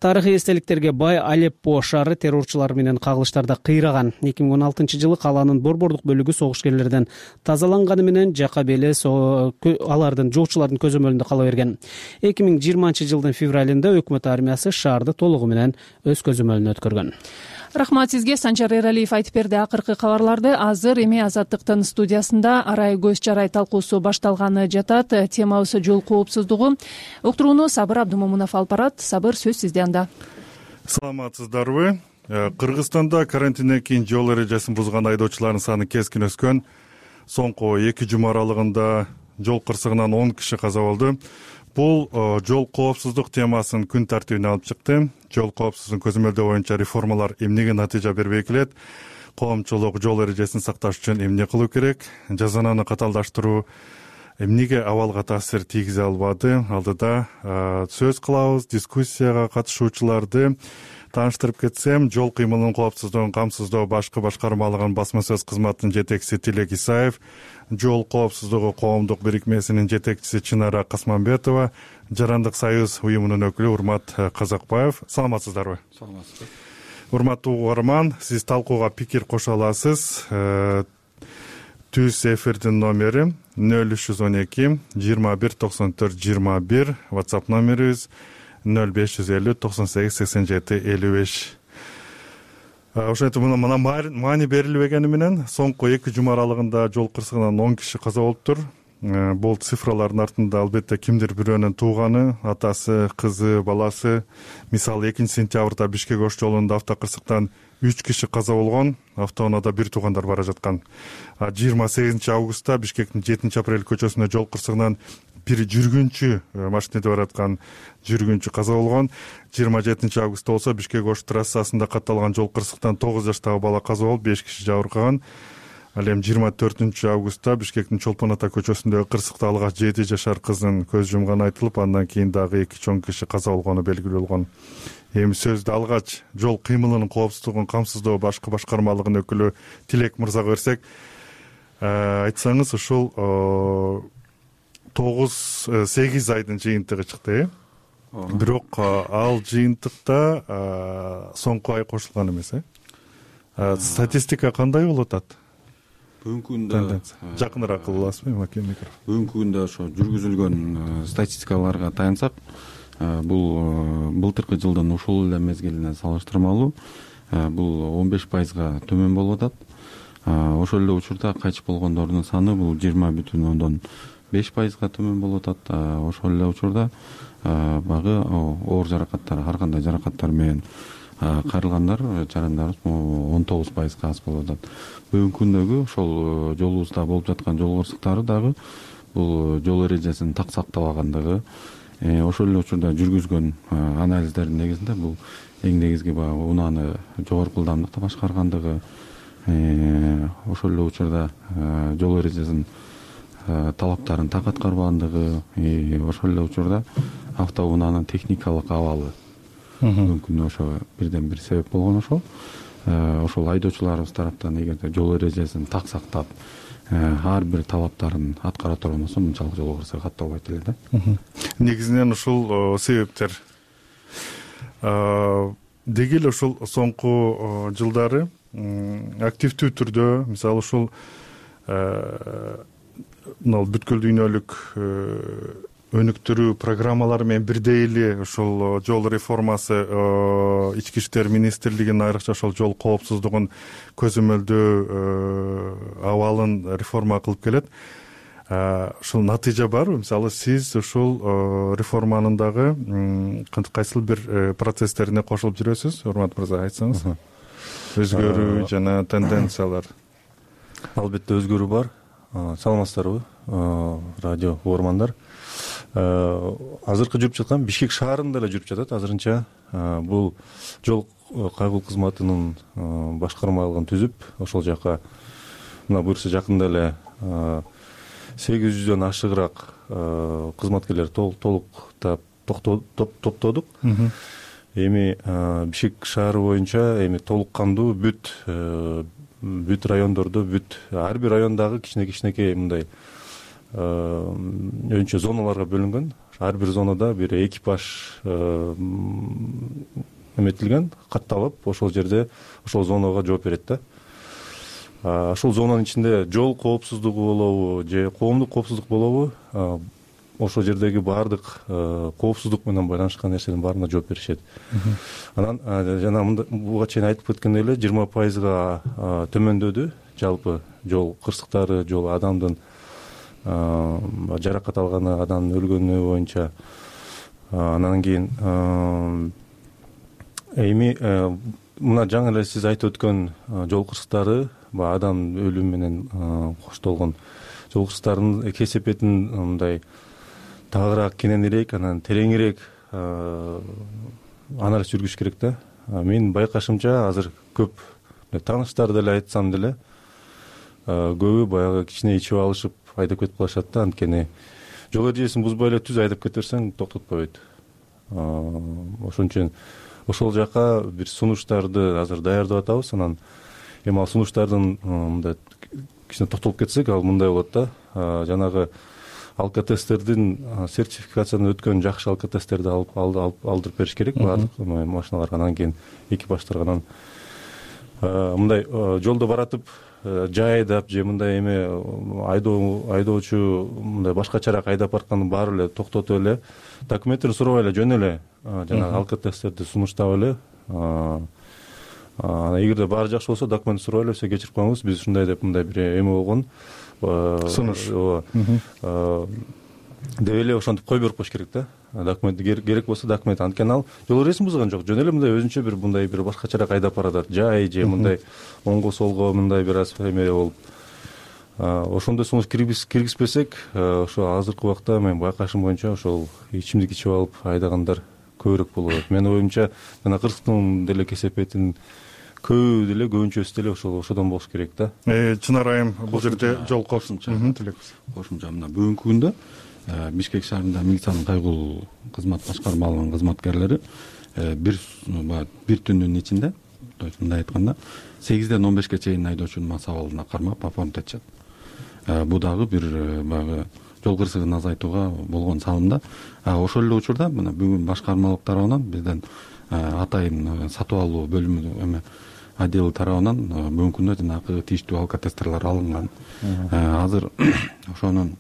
Тарыхый эстеликтерге бай Алеппо шаары террорчулар менен кагылыштарда кыйраган. эки миң он алтынчы жылы калаанын борбордук бөлүгү согушкерлерден тазаланганы менен жака беле алардын жоочулардын көзөмөлүндө кала берген. эки миң жыйырманчы жылдын февралында өкмөт армиясы шаарды толугу менен өз көзөмөлүнө өткөргөн. Рахмат сизге. Санжар Эралиев айтып берди акыркы кабарларды. Азыр эми Азаттыктын студиясында арай көз жарай талкуусу башталганы жатат. Темабыз жол коопсуздугу. Уктурууну Сабыр Абдумомунов алып барат. Сабыр, сөз сизде анда. Саламатсыздарбы. Кыргызстанда карантинден кийин жол эрежесин бузган айдоочулардын саны кескин өскөн. Соңку эки жума аралыгында жол кырсыгынан он киши каза болду. Бул жол коопсуздук темасын күн тартибине алып чыкты. Жол коопсуздугун көзөмөлдөө боюнча реформалар эмнеге натыйжа бербей келет? Коомчулук жол эрежесин сакташ үчүн эмне кылуу керек? Жазананы каталдаштыруу эмнеге абалга таасир тийгизе албады? Алдыда сөз кылабыз. Дискуссияга катышуучуларды тааныштырып кетсем, жол кыймылынын коопсуздугун камсыздоо башкы башкармалыгынын басма сөз кызматынын жетекчиси Тилек Исаев, жол коопсуздугу коомдук бирикмесинин жетекчиси Чынара Касманбетова, Жарандык союз уюмунун өкүлү Урмат Казакбаев. Саламатсыздарбы? Саламатсызбы. Урматтуу угарман, сиз талкууга пикир кошо аласыз. Түз эфирдин номери нөл үч жүз он эки жыйырма бир токсон төрт жыйырма бир, WhatsApp номерибиз нөл беш жүз элүү токсон сегиз сексен жети элүү беш. Ошентип мына маани берилбегени менен соңку эки жума аралыгында жол кырсыгынан он киши каза болуптур. Бул цифралардын артында албетте кимдир бирөөнүн тууганы, атасы, кызы, баласы. Мисалы экинчи сентябрда Бишкек Ош жолунда автокырсыктан үч киши каза болгон, автоунаада бир туугандар бара жаткан. жыйырма сегизинчи августта Бишкектин жетинчи апрель көчөсүндө жол кырсыгынан бир жүргүнчү машинеде бараткан жүргүнчү каза болгон. жыйырма жетинчи августта болсо Бишкек Ош трассасында катталган жол кырсыктан тогуз жаштагы бала каза болуп, беш киши жабыркаган. Ал эми жыйырма төртүнчү августта Бишкектин Чолпон ата көчөсүндөгү кырсыкта алгач жети жашар кыздын көз жумганы айтылып, андан кийин дагы эки чоң киши каза болгону белгилүү болгон. Эми сөздү алгач жол кыймылынын коопсуздугун камсыздоо башкы башкармалыгынын өкүлү Тилек мырзага берсек, айтсаңыз ушул тогуз сегиз айдын жыйынтыгы чыкты, э? Бирок ал жыйынтыкта соңку ай кошулган эмес, э? Статистика кандай болуп атат? Бүгүнкү күндө жакыныраак кылып аласызбы микрофон? Бүгүнкү күндө ошо жүргүзүлгөн статистикаларга таянсак, бул былтыркы жылдын ушул эле мезгилине салыштырмалуу бул он беш пайызга төмөн болуп атат. Ошол эле учурда кайтыш болгондордун саны бул жыйырма бүтүн ондон беш пайызга төмөн болуп атат. Ошол эле учурда багы оор жаракаттар, ар кандай жаракаттар менен кайрылгандар, жарандарыбыз он тогуз пайызга аз болуп атат. Бүгүнкү күндөгү ошол жолубузда болуп жаткан жол кырсыктары дагы бул жол эрежесин так сактабагандыгы, ошол эле учурда жүргүзгөн анализдердин негизинде бул эң негизги баягы унааны жогорку ылдамдыкта башкаргандыгы, ошол эле учурда жол эрежесин талаптарын так аткарбагандыгы, ошол эле учурда автоунаанын техникалык абалы бүгүнкү күндө ошо бирден бир себеп болгон. Ошол ошол айдоочуларыбыз тараптан эгерде жол эрежесин так сактап, ар бир талаптарын аткара турган болсо, мынчалык жол кырсыгы катталбайт эле да. Негизинен ушул себептер. Деги эле ушул соңку жылдары активдүү түрдө, мисалы ушул мына бүткүл дүйнөлүк өнүктүрүү программалары менен бирдей эле ушул жол реформасы ички иштер министрлигинин айрыкча ошол жол коопсуздугун көзөмөлдөө абалын реформа кылып келет. Ушул натыйжа барбы? Мисалы сиз ушул реформанын дагы кайсыл бир процесстерине кошулуп жүрөсүз? Урмат мырза, айтсаңыз. Өзгөрүү жана тенденциялар. Албетте өзгөрүү бар. Саламатсыздарбы, радио угармандар. Азыркы жүрүп жаткан Бишкек шаарында эле жүрүп жатат азырынча. Бул жол кайгыл кызматынын башкармалыгын түзүп, ошол жака мына буюрса жакында эле сегиз жүздөн ашыгыраак кызматкерлер толуктап топтодук. Эми Бишкек шаары боюнча эми толук кандуу бүт бүт райондордо, бүт ар бир райондагы кичине-кичинекей мындай өзүнчө зоналарга бөлүнгөн. Ар бир зонада бир экипаж эметилген, катталып, ошол жерде ошол зонага жооп берет да. Ошол зонанын ичинде жол коопсуздугу болобу же коомдук коопсуздук болобу, ошол жердеги баардык коопсуздук менен байланышкан нерсенин баарына жооп беришет. Анан жана буга чейин айтып кеткендей эле жыйырма пайызга төмөндөдү жалпы жол кырсыктары, жол адамдын жаракат алганы, адамдын өлгөнү боюнча. Анан кийин эми мына жаңы эле сиз айтып өткөн жол кырсыктары, баягы адам өлүмү менен коштолгон жол кырсыктарынын кесепетин мындай тагыраак кененирээк, анан тереңирээк анализ жүргүзүш керек да. Менин байкашымча азыр көп тааныштар деле айтсам деле көбү баягы кичине ичип алышып айдап кетип калышат да. Анткени жол эрежесин бузбай эле түз айдап кете берсең токтотпойт. Ошон үчүн ошол жака бир сунуштарды азыр даярдап атабыз. Анан эми ал сунуштардын мындай кичине токтолуп кетсек, ал мындай болот да. Жанагы алкотесттердин сертификациядан өткөн жакшы алкотесттерди алып алдырып бериш керек баардык машиналарга. Анан кийин экипаждарга анан мындай жолдо баратып жай айдап же мындай эме айдоо айдоочу мындай башкачараак айдап баратканда баары эле токтотуп эле документтерин сурабай эле жөн эле жанагы алкотесттерди сунуштап эле анан эгерде баары жакшы болсо документ сурабай эле все кечирип коюңуз, биз ушундай деп мындай бир эме болгон сунуш деп эле ошентип кое берип коюш керек да. Документ керек болсо документ. Анткени ал жол эрежесин бузган жок, жөн эле мындай өзүнчө бир мындай бир башкачараак айдап баратат, жай же мындай оңго солго мындай бир аз эме болуп. Ошондой сунуш киргизбесек, ошо азыркы убакта мен байкашым боюнча ошол ичимдик ичип алып айдагандар көбүрөөк болуп. Менин оюмча жана кыргызстандын деле кесепетин көбү деле көбүнчөсү деле ошол ошодон болуш керек да. Чынар айым бул жерде жол кошумча тилекпиз. Кошумча мына бүгүнкү күндө Бишкек шаарында милициянын кайгылуу кызмат башкармалыгынын кызматкерлери бир бир түндүн ичинде, то есть мындай айтканда сегизден он бешке чейин айдоочунун мас абалына кармап оформить этишет. Бул дагы бир баягы жол кырсыгын азайтууга болгон салым да. Ошол эле учурда мына бүгүн башкармалык тарабынан бизден атайын сатып алуу бөлүмү эме отдел тарабынан бүгүнкү күндө жанагы тийиштүү алкотестерлер алынган. Азыр ошонун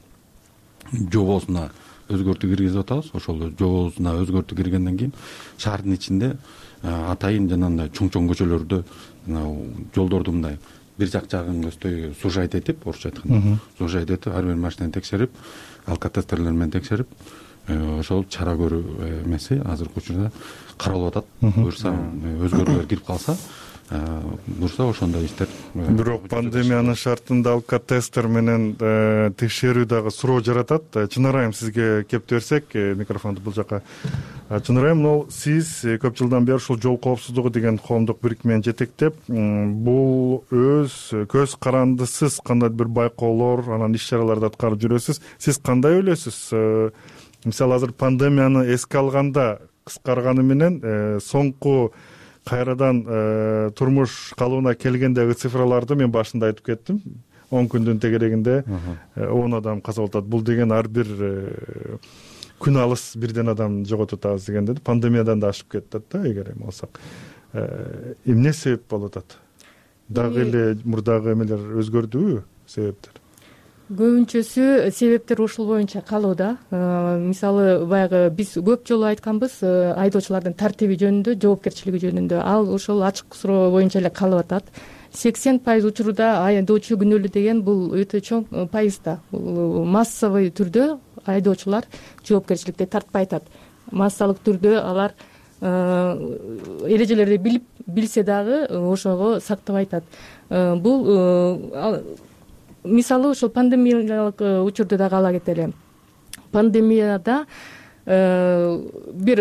жобосуна өзгөртүү киргизип атабыз. Ошол жобосуна өзгөртүү киргенден кийин шаардын ичинде атайын жанагындай чоң-чоң көчөлөрдө жолдорду мындай бир жак жагын көздөй сужать этип, орусча айтканда сужать этип, ар бир машинени текшерип, алкотестерлер менен текшерип, ошол чара көрүү эмеси азыркы учурда каралып атат. Буюрса өзгөрүүлөр кирип калса, буюрса ошондой иштер. Бирок пандемиянын шартында алкотестер менен текшерүү дагы суроо жаратат. Чынар айым сизге кеп берсек, микрофонду бул жака. Чынар айым, мына сиз көп жылдан бери ушул жол коопсуздугу деген коомдук бирикмени жетектеп, бул өз көз карандысыз кандайдыр бир байкоолор, анан иш чараларды аткарып жүрөсүз. Сиз кандай ойлойсуз? Мисалы азыр пандемияны эске алганда кыскарганы менен соңку кайрадан турмуш калыбына келгендеги цифраларды мен башында айтып кеттим. он күндүн тегерегинде он адам каза болуп атат. Бул деген ар бир күн алыс бирден адам жоготуп атабыз дегенде пандемиядан да ашып кетет да, эгер эме болсок. Эмне себеп болуп атат? Дагы эле мурдагы эмелер өзгөрдүбү, себептер? Көбүнчөсү себептер ушул боюнча калууда. Мисалы баягы биз көп жолу айтканбыз, айдоочулардын тартиби жөнүндө, жоопкерчилиги жөнүндө. Ал ошол ачык суроо боюнча эле калып атат. сексен пайыз учурда айдоочу күнөөлүү деген бул өтө чоң пайыз да. Массовый түрдө айдоочулар жоопкерчиликти тартпай атат. Массалык түрдө алар эрежелерди билип билсе дагы ошого сактабай атат. Бул мисалы ошол пандемиялык учурду дагы ала кетели. Пандемияда бир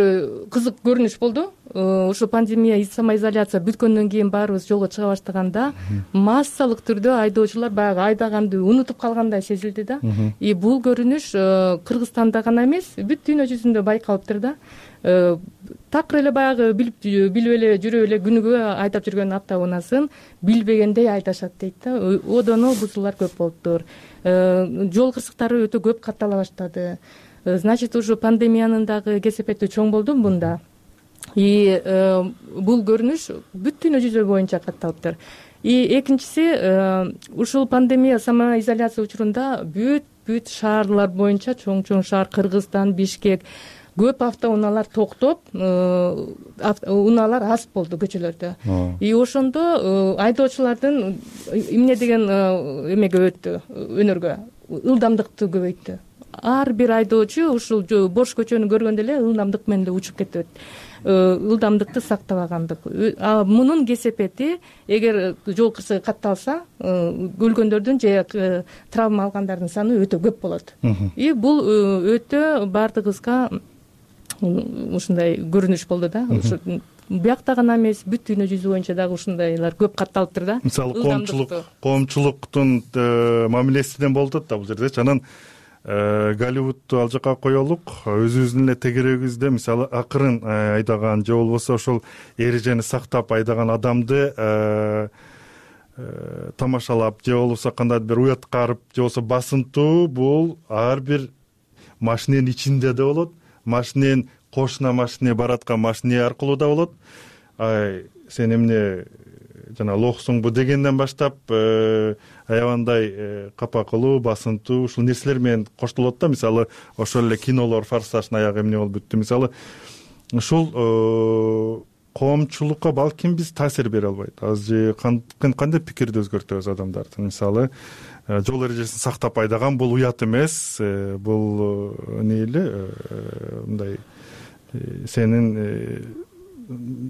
кызык көрүнүш болду. Ошо пандемия, самоизоляция бүткөндөн кийин баарыбыз жолго чыга баштаганда массалык түрдө айдоочулар баягы айдаганды унутуп калгандай сезилди да. И бул көрүнүш Кыргызстанда гана эмес, бүт дүйнө жүзүндө байкалыптыр да. Такыр эле баягы билип билип эле жүрүп эле күнүгө айдап жүргөн автоунаасын билбегендей айдашат дейт да. Одоно бузуулар көп болуптур. Жол кырсыктары өтө көп каттала баштады. Значит, уже пандемиянын дагы кесепети чоң болду мында. И бул көрүнүш бүт дүйнө жүзү боюнча катталыптыр. И экинчиси, ушул пандемия, самоизоляция учурунда бүт бүт шаарлар боюнча, чоң-чоң шаар, Кыргызстан, Бишкек, көп автоунаалар токтоп, унаалар аз болду көчөлөрдө. И ошондо айдоочулардын эмне деген эмеге өттү, өнөргө, ылдамдыкты көбөйттү. Ар бир айдоочу ушул бош көчөнү көргөндө эле ылдамдык менен эле учуп кетет. Ылдамдыкты сактабагандык. Мунун кесепети, эгер жол кырсыгы катталса, өлгөндөрдүн же травма алгандардын саны өтө көп болот. И бул өтө бардыгыбызга ушундай көрүнүш болду да. биякта гана эмес бүт дүйнө жүзү боюнча дагы ушундайлар көп катталыптыр да. Мисалы коомчулук коомчулуктун мамилесинен болуп атат да бул жердечи. Анан Голливудду ал жака коелук, өзүбүздүн эле тегерегибизде мисалы акырын айдаган же болбосо ошол эрежени сактап айдаган адамды тамашалап же болбосо кандайдыр бир уяткарып же болбосо басынтуу, бул ар бир машиненин ичинде да болот, машиненин кошуна машине бараткан машине аркылуу да болот. Сен эмне жана лохсуңбу дегенден баштап аябандай капа кылуу, басынтуу ушул нерселер менен коштолот да. Мисалы ошол эле кинолор Форсаждын аягы эмне болуп бүттү. Мисалы ушул коомчулукка балким биз таасир бере албайт. Азыр кандай пикирди өзгөртөбүз адамдардын? Мисалы жол эрежесин сактап айдаган бул уят эмес, бул эмне эле мындай сенин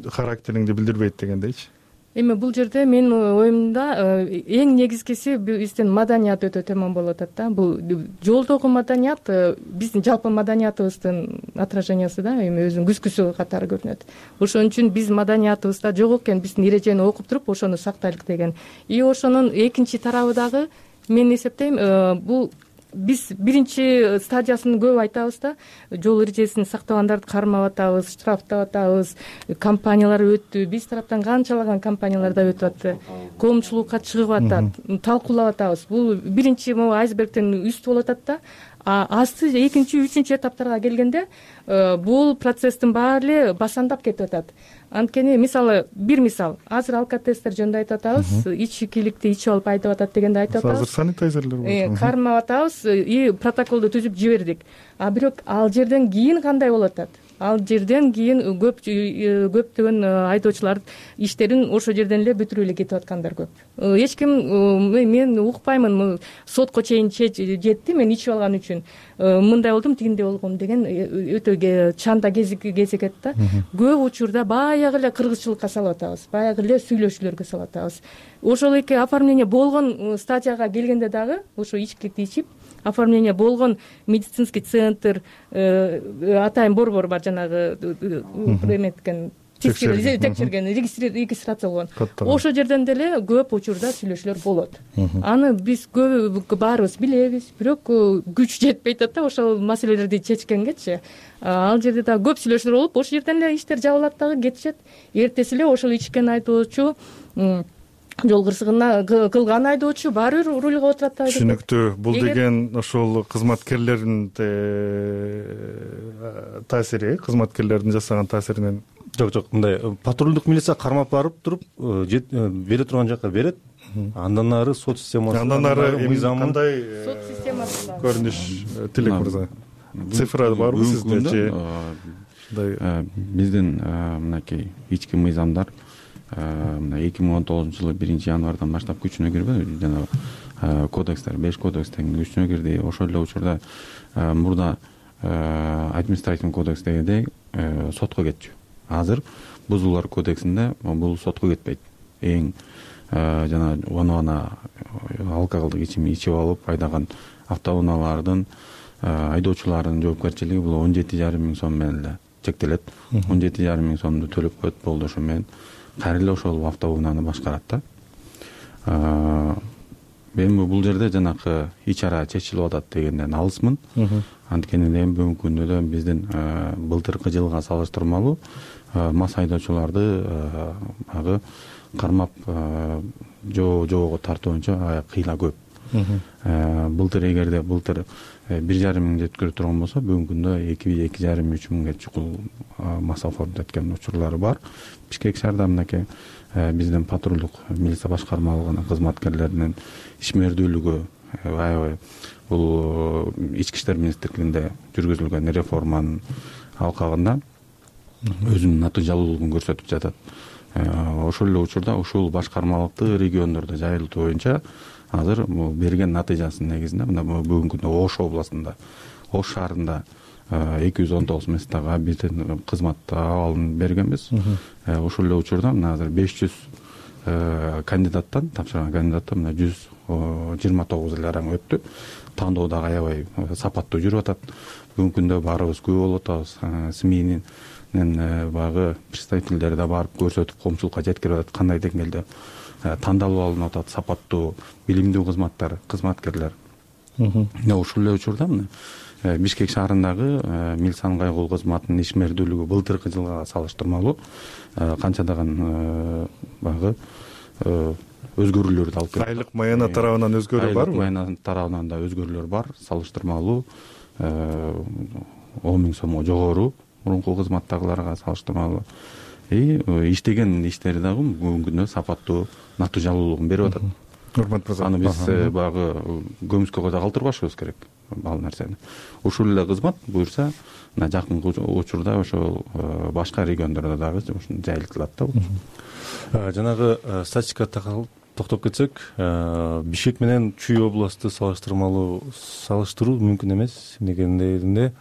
характериңди билдирбейт дегендейчи. Эми бул жерде менин оюмда эң негизгиси биздин маданият өтө төмөн болуп атат да. Бул жолдогу маданият биздин жалпы маданиятыбыздын отражениясы да, эми өзүнүн күзгүсү катары көрүнөт. Ошон үчүн биз маданиятыбызда жок экен, биздин эрежени окуп туруп ошону сактайлык деген. И ошонун экинчи тарабы дагы мен эсептейм, бул биз биринчи стадиясын көп айтабыз да, жол эрежесин сактабагандарды кармап атабыз, штрафтап атабыз, компаниялар өттү, биз тараптан канчалаган компаниялар да өтүп атты, коомчулукка чыгып атат, талкуулап атабыз. Бул биринчи могу айсбергдин үстү болуп атат да. Асты экинчи, үчүнчү этаптарга келгенде бул процесстин баары эле басандап кетип атат. Анткени мисалы бир мисал, азыр алкотестер жөнүндө айтып атабыз, ичкиликти ичип алып айдап атат дегенди айтып атабыз. Азыр санитайзерлер болот. Кармап атабыз и протоколду түзүп жибердик. А бирок ал жерден кийин кандай болуп атат? Ал жерден кийин көп көптөгөн айдоочулар иштерин ошол жерден эле бүтүрүп эле кетип аткандар көп. Эч ким, мен укпаймын, сотко чейин жетти, мен ичип алган үчүн мындай болдум, тигиндей болгом деген өтө чанда кезигет да. Көп учурда баягы эле кыргызчылыкка салып атабыз, баягы эле сүйлөшүүлөргө салып атабыз. Ошол эки оформление болгон стадияга келгенде дагы ошо ичкиликти ичип, оформление болгон медицинский центр, атайын борбор бар, жанагы эметкен текшерген, регистрация болгон. Ошол жерден деле көп учурда сүйлөшүүлөр болот. Аны биз көп баарыбыз билебиз, бирок күч жетпей атат да ошол маселелерди чечкенгечи. Ал жерде да көп сүйлөшүүлөр болуп, ошол жерден эле иштер жабылат дагы, кетишет. Эртеси эле ошол ичкен айдоочу, жол кырсыгына кылган айдоочу баары бир рульга отурат да. Түшүнүктүү. Бул деген ошол кызматкерлердин таасири, кызматкерлердин жасаган таасиринен. Жок, жок, мындай патрулдук милиция кармап барып туруп бере турган жака берет. Андан ары сот системасы, андан ары мыйзамы кандай сот системасы көрүнүш? Тилек мырза, цифра барбы сиздечи? Биздин мынакей ички мыйзамдар мына эки миң он тогузунчу жылы биринчи январдан баштап күчүнө кирби, жана кодекстер, беш кодекстен күчүнө кирди. Ошол эле учурда мурда административный кодекс дегендей сотко кетчү. Азыр бузуулар кодексинде бул сотко кетпейт. Эң жана оно алкоголдук ичим ичип алып айдаган автоунаалардын айдоочулардын жоопкерчилиги бул он жети жарым миң сом менен эле чектелет. он жети жарым миң сомду төлөп коет, болду. Ошо менен кайра эле ошол автоунааны башкарат да. Эми бул жерде жанакы ич ара чечилип атат дегенден алысмын. Анткени эми бүгүнкү күндө да биздин былтыркы жылга салыштырмалуу мас айдоочуларды агы кармап жоого тартуу боюнча кыйла көп. Былтыр эгерде былтыр бир жарым миң жеткире турган болсо, бүгүнкү күндө эки эки жарым үч миңге чукул мас оформдоп кеткен учурлары бар. Бишкек шаарда мынакей биздин патрулдук милиция башкармалыгынын кызматкерлеринин ишмердүүлүгү аябай бул ички иштер министрлигинде жүргүзүлгөн реформанын алкагында өзүнүн натыйжалуулугун көрсөтүп жатат. Ошол эле учурда ушул башкармалыкты региондордо жайылтуу боюнча азыр берген натыйжасынын негизинде мына бүгүнкү күндө Ош областында, Ош шаарында эки жүз он тогуз месттага биздин кызмат абалын бергенбиз. Ошол эле учурда мына азыр беш жүз кандидаттан, тапшырган кандидаттан мына жүз жыйырма тогуз эле араң өттү. Тандоо дагы аябай сапаттуу жүрүп атат. Бүгүнкү күндө баарыбыз күбө болуп атабыз. СМИнин баягы представительдери да барып көрсөтүп коомчулукка жеткирип атат кандай деңгээлде тандалып алынып атат сапаттуу билимдүү кызматтар кызматкерлер. Ушул эле учурда мына Бишкек шаарындагы милициянын кайгылуу кызматынын ишмердүүлүгү былтыркы жылга салыштырмалуу канчадаган баягы өзгөрүүлөрдү алып келет. Айлык маяна тарабынан өзгөрүү барбы? Айлык маяна тарабынан да өзгөрүүлөр бар. Салыштырмалуу он миң сомго жогору мурунку кызматтагыларга салыштырмалуу. И иштеген иштери дагы бүгүнкү күндө сапаттуу натыйжалуулугун берип атат. Урматтуу мырза. Аны биз баягы көмүскө койдо калтырбашыбыз керек ал нерсени. Ушул эле кызмат буюрса мына жакынкы учурда ошол башка региондордо дагы ушуну жайылтылат да. Жанагы статистикага токтоп кетсек, Бишкек менен Чүй областты салыштырмалуу салыштыруу мүмкүн эмес. Эмнегенде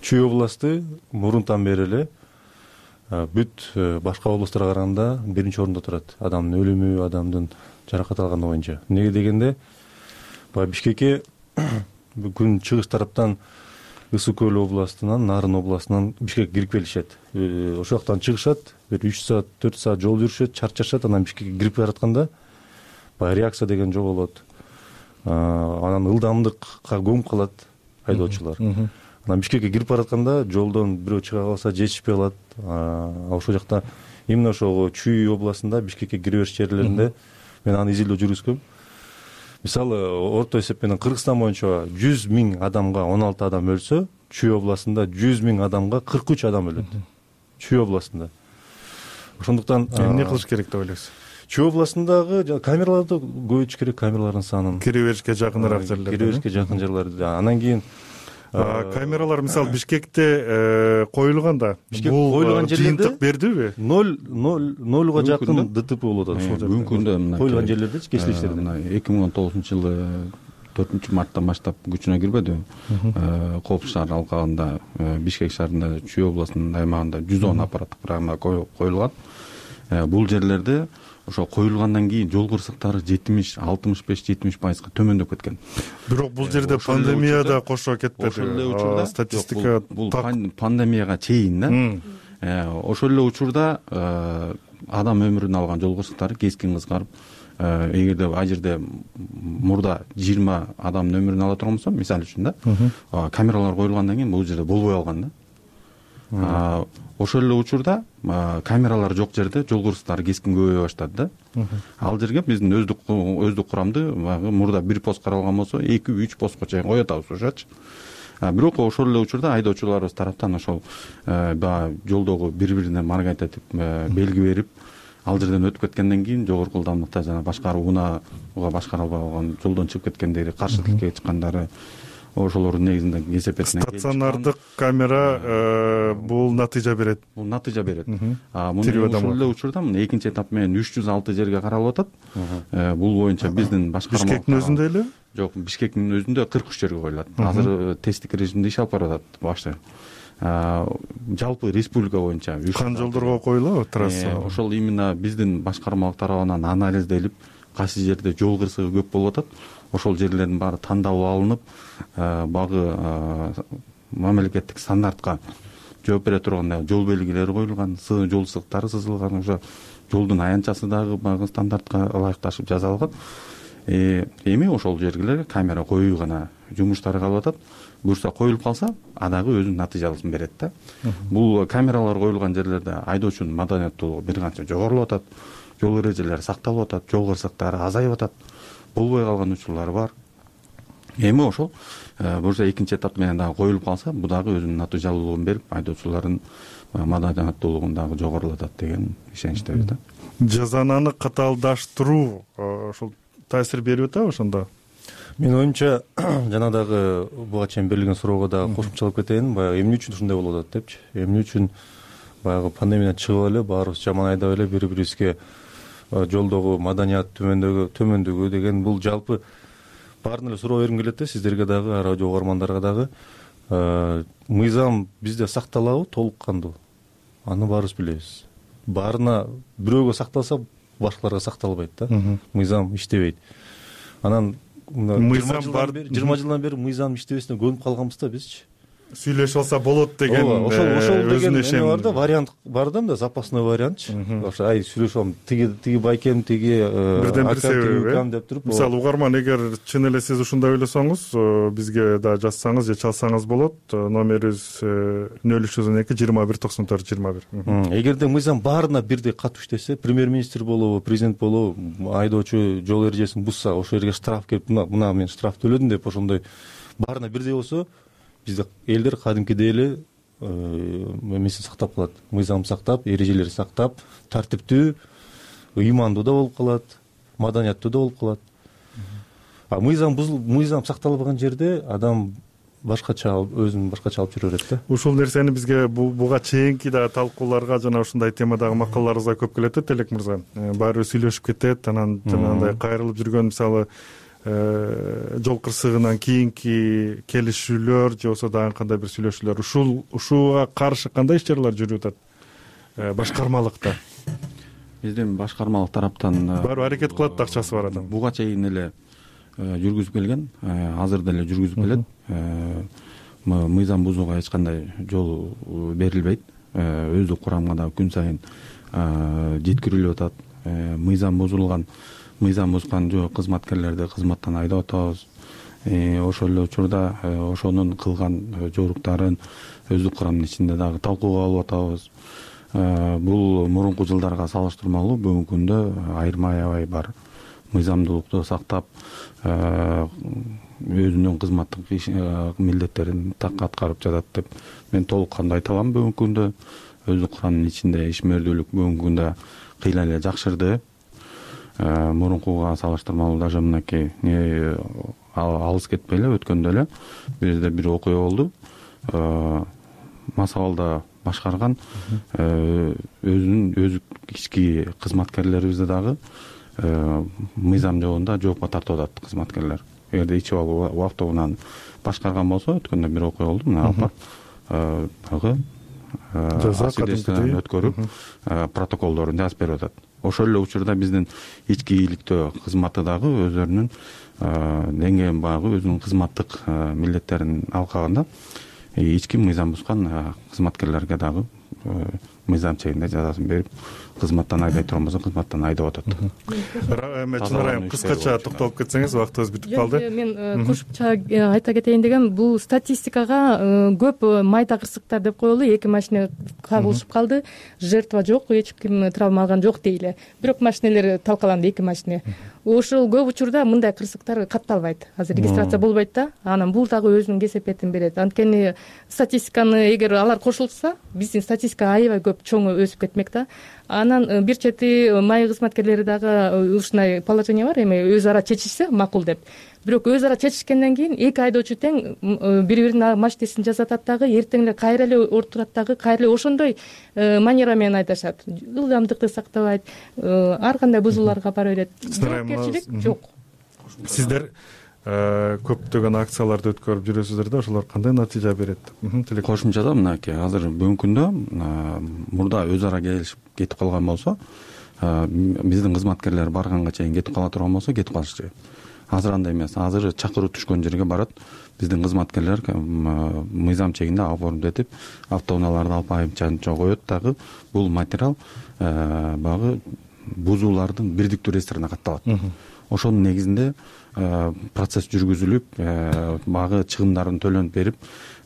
Чүй областы мурунтан бери эле бүт башка областтарга караганда биринчи орунда турат. Адамдын өлүмү, адамдын жаракат алганы боюнча. Эмнеге дегенде, баягы Бишкекке күн чыгыш тараптан Ысык көл областынан, Нарын областынан Бишкекке кирип келишет. Ошол жактан чыгышат, бир үч саат, төрт саат жол жүрүшөт, чарчашат, анан Бишкекке кирип баратканда баягы реакция деген жок анан ылдамдыкка көмүп калат айдоочулар. Анан Бишкекке кирип баратканда жолдон бирөө чыга калса жетишпей калат. Ошол жакта именно ошол Чүй областында Бишкекке кире бериш жерлеринде мен аны изилдөө жүргүзгөм. Мисалы, орто эсеп менен Кыргызстан боюнча жүз миң адамга он алты адам өлсө, Чүй областында жүз миң адамга кырк үч адам өлөт. Чүй областында. Ошондуктан эмне кылыш керек деп ойлойсуз? Чүй областындагы камераларды көбөйтүш керек, камералардын санын. Кире беришке жакыныраак жерлерде. Кире беришке жакын жерлерде. Анан кийин камералар мисалы Бишкекте коюлганда бул жыйынтык бердиби? ноль нолга жакын ДТП болуп атат ошол жерде. Бүгүнкү күндө мына коюлган жерлердечи кесилиштерде. Мына эки миң он тогузунчу жылы төртүнчү марттан баштап күчүнө кирбеди. Коопсуз шаар алкагында Бишкек шаарында Чүй областынын аймагында жүз он аппараттык программа коюлган. Бул жерлерде ошо коюлгандан кийин жол кырсыктары жетимиш, алтымыш беш, жетимиш пайызга төмөндөп кеткен. Бирок бул жерде пандемия да кошо кетпеди. Ошол эле учурда статистика бул пандемияга чейин да. Ошол эле учурда адам өмүрүн алган жол кырсыктары кескин кыскарып, эгерде ал жерде мурда жыйырма адамдын өмүрүн ала турган болсо, мисалы үчүн да, камералар коюлгандан кийин бул жерде болбой калган да. Ошол эле учурда камералар жок жерде жол кырсыктары кескин көбөйө баштады да. Ал жерге биздин өздүк өздүк курамды мурда бир пост каралган болсо, эки үч постко чейин кое атабыз ошочу. Бирок ошол эле учурда айдоочуларыбыз тараптан ошол баягы жолдогу бири-бирине маргайтатып белги берип, ал жерден өтүп кеткенден кийин жогорку ылдамдыкта жана башкаруу унаага башкара албай калган, жолдон чыгып кеткендери, каршы тилкеге чыккандары ошолордун негизинде кесепетине стационардык камера бул натыйжа берет. Бул натыйжа берет. Муну ошол эле учурда мына экинчи этап менен үч жүз алты жерге каралып атат. Бул боюнча биздин башкарма Бишкектин өзүндө эле? Жок, Бишкектин өзүндө кырк үч жерге коюлат. Азыр тесттик режимде иш алып барып атат башты. Жалпы республика боюнча кан жолдорго коюлабы трасса? Ошол именно биздин башкармалык тарабынан анализделип, кайсы жерде жол кырсыгы көп болуп атат, ошол жерлердин баары тандалып алынып, багы мамлекеттик стандартка жооп бере турган жол белгилери коюлган, жол сызыктары сызылган, ошо жолдун аянтчасы дагы багы стандартка ылайыкташып жасалган. Эми ошол жерлерге камера коюу гана жумуштары калып атат. Буюрса коюлуп калса, адагы өзүнүн натыйжалысын берет да. Бул камералар коюлган жерлерде айдоочунун маданияттуулугу бир канча жогорулуп атат, жол эрежелери сакталып атат, жол кырсыктары азайып атат, болбой калган учурлар бар. Эми ошол буюрса экинчи этап менен дагы коюлуп калса, бул дагы өзүнүн натыйжалуулугун берип, айдоочулардын маданияттуулугун дагы жогорулатат деген ишеничтебиз да. Жазананы катаалдаштыруу ошол таасир берип атабы ошондо? Менин оюмча, жана дагы буга чейин берилген суроого дагы кошумчалап кетейин. Баягы эмне үчүн ушундай болуп атат депчи? Эмне үчүн баягы пандемиядан чыгып эле баарыбыз жаман айдап эле бири-бирибизге жолдогу маданият төмөндөгү төмөндүгү деген бул жалпы баарын эле суроо бергим келет да, сиздерге дагы, радио угармандарга дагы. Мыйзам бизде сакталабы толук кандуу? Аны баарыбыз билебиз. Баарына бирөөгө сакталса, башкаларга сакталбайт да. Мыйзам иштебейт. Анан мыйзам бар, жыйырма жылдан бери мыйзам иштебесине көнүп калганбыз да бизчи. сүйлөшүп алса болот деген ошол ошол деген ишеним бар да, вариант бар да, мындай запасной вариантчы. Ошо ай сүйлөшүп алам, тиги тиги байкем, тиги бирден бир себеби деп туруп. Мисалы угарман, эгер чын эле сиз ушундай ойлосоңуз, бизге да жазсаңыз же чалсаңыз болот. Номерибиз нөл үч жүз он эки жыйырма бир токсон төрт жыйырма бир. Эгерде мыйзам баарына бирдей катуу иштесе, премьер-министр болобу, президент болобу, айдоочу жол эрежесин бузса, ошол жерге штраф келип, мына мен штраф төлөдүм деп ошондой баарына бирдей болсо, бизде элдер кадимкидей эле эмесин сактап калат, мыйзам сактап, эрежелерди сактап, тартиптүү, ыймандуу да болуп калат, маданияттуу да болуп калат. А мыйзам бузулуп, мыйзам сакталбаган жерде адам башкача өзүн башкача алып жүрө берет да. Ушул нерсени бизге буга чейинки дагы талкууларга жана ушундай темадагы макалаларыбызга көп келет да, Телек мырза. Баары сүйлөшүп кетет, анан жанагындай кайрылып жүргөн, мисалы жол кырсыгынан кийинки келишүүлөр же болбосо дагы кандай бир сүйлөшүүлөр, ушул ушуга каршы кандай иш чаралар жүрүп атат башкармалыкта? Биздин башкармалык тараптан баары аракет кылат да, акчасы бар адам. Буга чейин эле жүргүзүп келген, азыр деле жүргүзүп келет. Мыйзам бузууга эч кандай жол берилбейт. Өздүк курамга да күн сайын жеткирилип атат. Мыйзам бузулган, мыйзам бузган кызматкерлерди кызматтан айдап атабыз. Ошол эле учурда ошонун кылган жоруктарын өздүк курамдын ичинде дагы талкууга алып атабыз. Бул мурунку жылдарга салыштырмалуу бүгүнкү күндө айырма аябай бар. Мыйзамдуулукту сактап, өзүнүн кызматтык милдеттерин так аткарып жатат деп мен толук кандуу айта алам. Бүгүнкү күндө өздүк курамдын ичинде ишмердүүлүк бүгүнкү күндө кыйла эле жакшырды. Мурункуга салыштырмалуу даже мынакей алыс кетпей эле өткөндө эле бизде бир окуя болду. Масабалда башкарган өзүнүн өзүк ички кызматкерлерибизди дагы мыйзам жобунда жоопко тартып атат кызматкерлер. Эгерде ичип алуу автобунан башкарган болсо, өткөндө бир окуя болду, мына алып барып жаза өткөрүп протоколдорун жазып берип атат. Ошол эле учурда биздин ички ийгиликтөө кызматы дагы өзлөрүнүн деңгээлин багы өзүнүн кызматтык милдеттерин алкагында ички мыйзам бузган кызматкерлерге дагы мыйзам чегинде жазасын берип, кызматтан айдай турган болсо кызматтан айдап атат. Чынар айым, кыскача токтолуп кетсеңиз, вактыбыз бүтүп калды. Мен кошумча айта кетейин дегем, бул статистикага көп майда кырсыктар деп коелу, эки машина кагылышып калды, жертва жок, эч ким травма алган жок дейли. Бирок машиналер талкаланды, эки машина. Ошол көп учурда мындай кырсыктар катталбайт. Азыр регистрация болбойт да. Анан бул дагы өзүнүн кесепетин берет. Анткени статистиканы эгер алар кошулса, биздин статистика аябай көп чоң өсүп кетмек да. Анан бир чети май кызматкерлери дагы ушундай положение бар, эми өз ара чечишсе макул деп. Бирок өз ара чечишкенден кийин эки айдоочу тең бири-биринин машинесин жасатат дагы, эртең эле кайра эле отурат дагы, кайра эле ошондой манера менен айдашат. Ылдамдыкты сактабайт, ар кандай бузууларга бара берет. Жоопкерчилик жок. Сиздер көптөгөн акцияларды өткөрүп жүрөсүздөр да, ошолор кандай натыйжа берет? Кошумчада мынакей, азыр бүгүнкү күндө мурда өз ара келишип кетип калган болсо, биздин кызматкерлер барганга чейин кетип кала турган болсо, кетип калышчу. Азыр андай эмес. Азыр чакыруу түшкөн жерге барат. Биздин кызматкерлер мыйзам чегинде оформить этип, автоунааларды алып айымчанча коет дагы. Бул материал багы бузуулардын бирдиктүү реестрине катталат. Ошонун негизинде процесс жүргүзүлүп, багы чыгымдарын төлөнүп берип,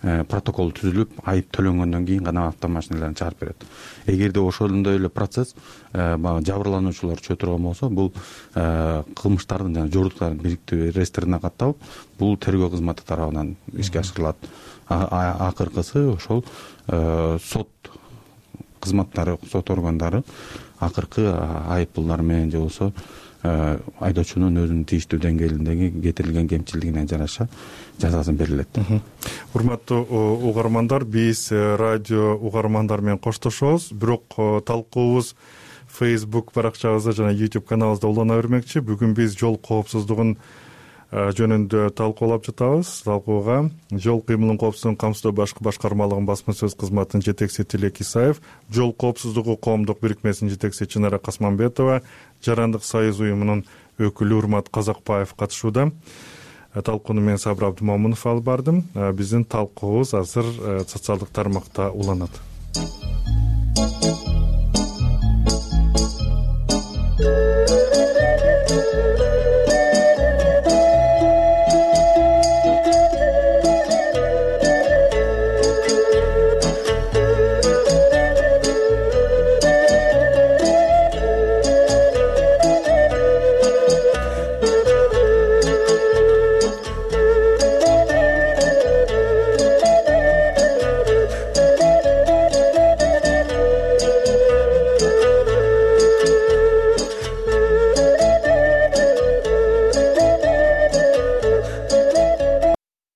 протокол түзүлүп, айып төлөнгөндөн кийин гана автомашиналарын чыгарып берет. Эгерде ошондой эле процесс баягы жабырлануучулар чөтө турган болсо, бул кылмыштардын жана жоруктардын бирдиктүү реестрине катталып, бул тергөө кызматы тарабынан ишке ашырылат. Акыркысы ошол сот кызматтары, сот органдары акыркы айып пулдар менен же болбосо айдоочунун өзүнүн тийиштүү деңгээлиндеги кетирилген кемчилигине жараша жазасын берилет. Урматтуу угармандар, биз радио угармандар менен коштошобуз, бирок талкуубуз Facebook баракчабызда жана YouTube каналыбызда улана бермекчи. Бүгүн биз жол коопсуздугун жөнүндө талкуулап жатабыз. Талкууга жол кыймылын коопсуздугун камсыздоо башкы башкармалыгынын басма сөз кызматынын жетекчиси Тилек Исаев, жол коопсуздугу коомдук бирикмесинин жетекчиси Чынара Касманбетова, Жарандык союз уюмунун өкүлү Урмат Казакбаев катышууда. талкууну мен Сабыр Абдымомунов алып бардым. Биздин талкуубуз азыр социалдык тармакта уланат.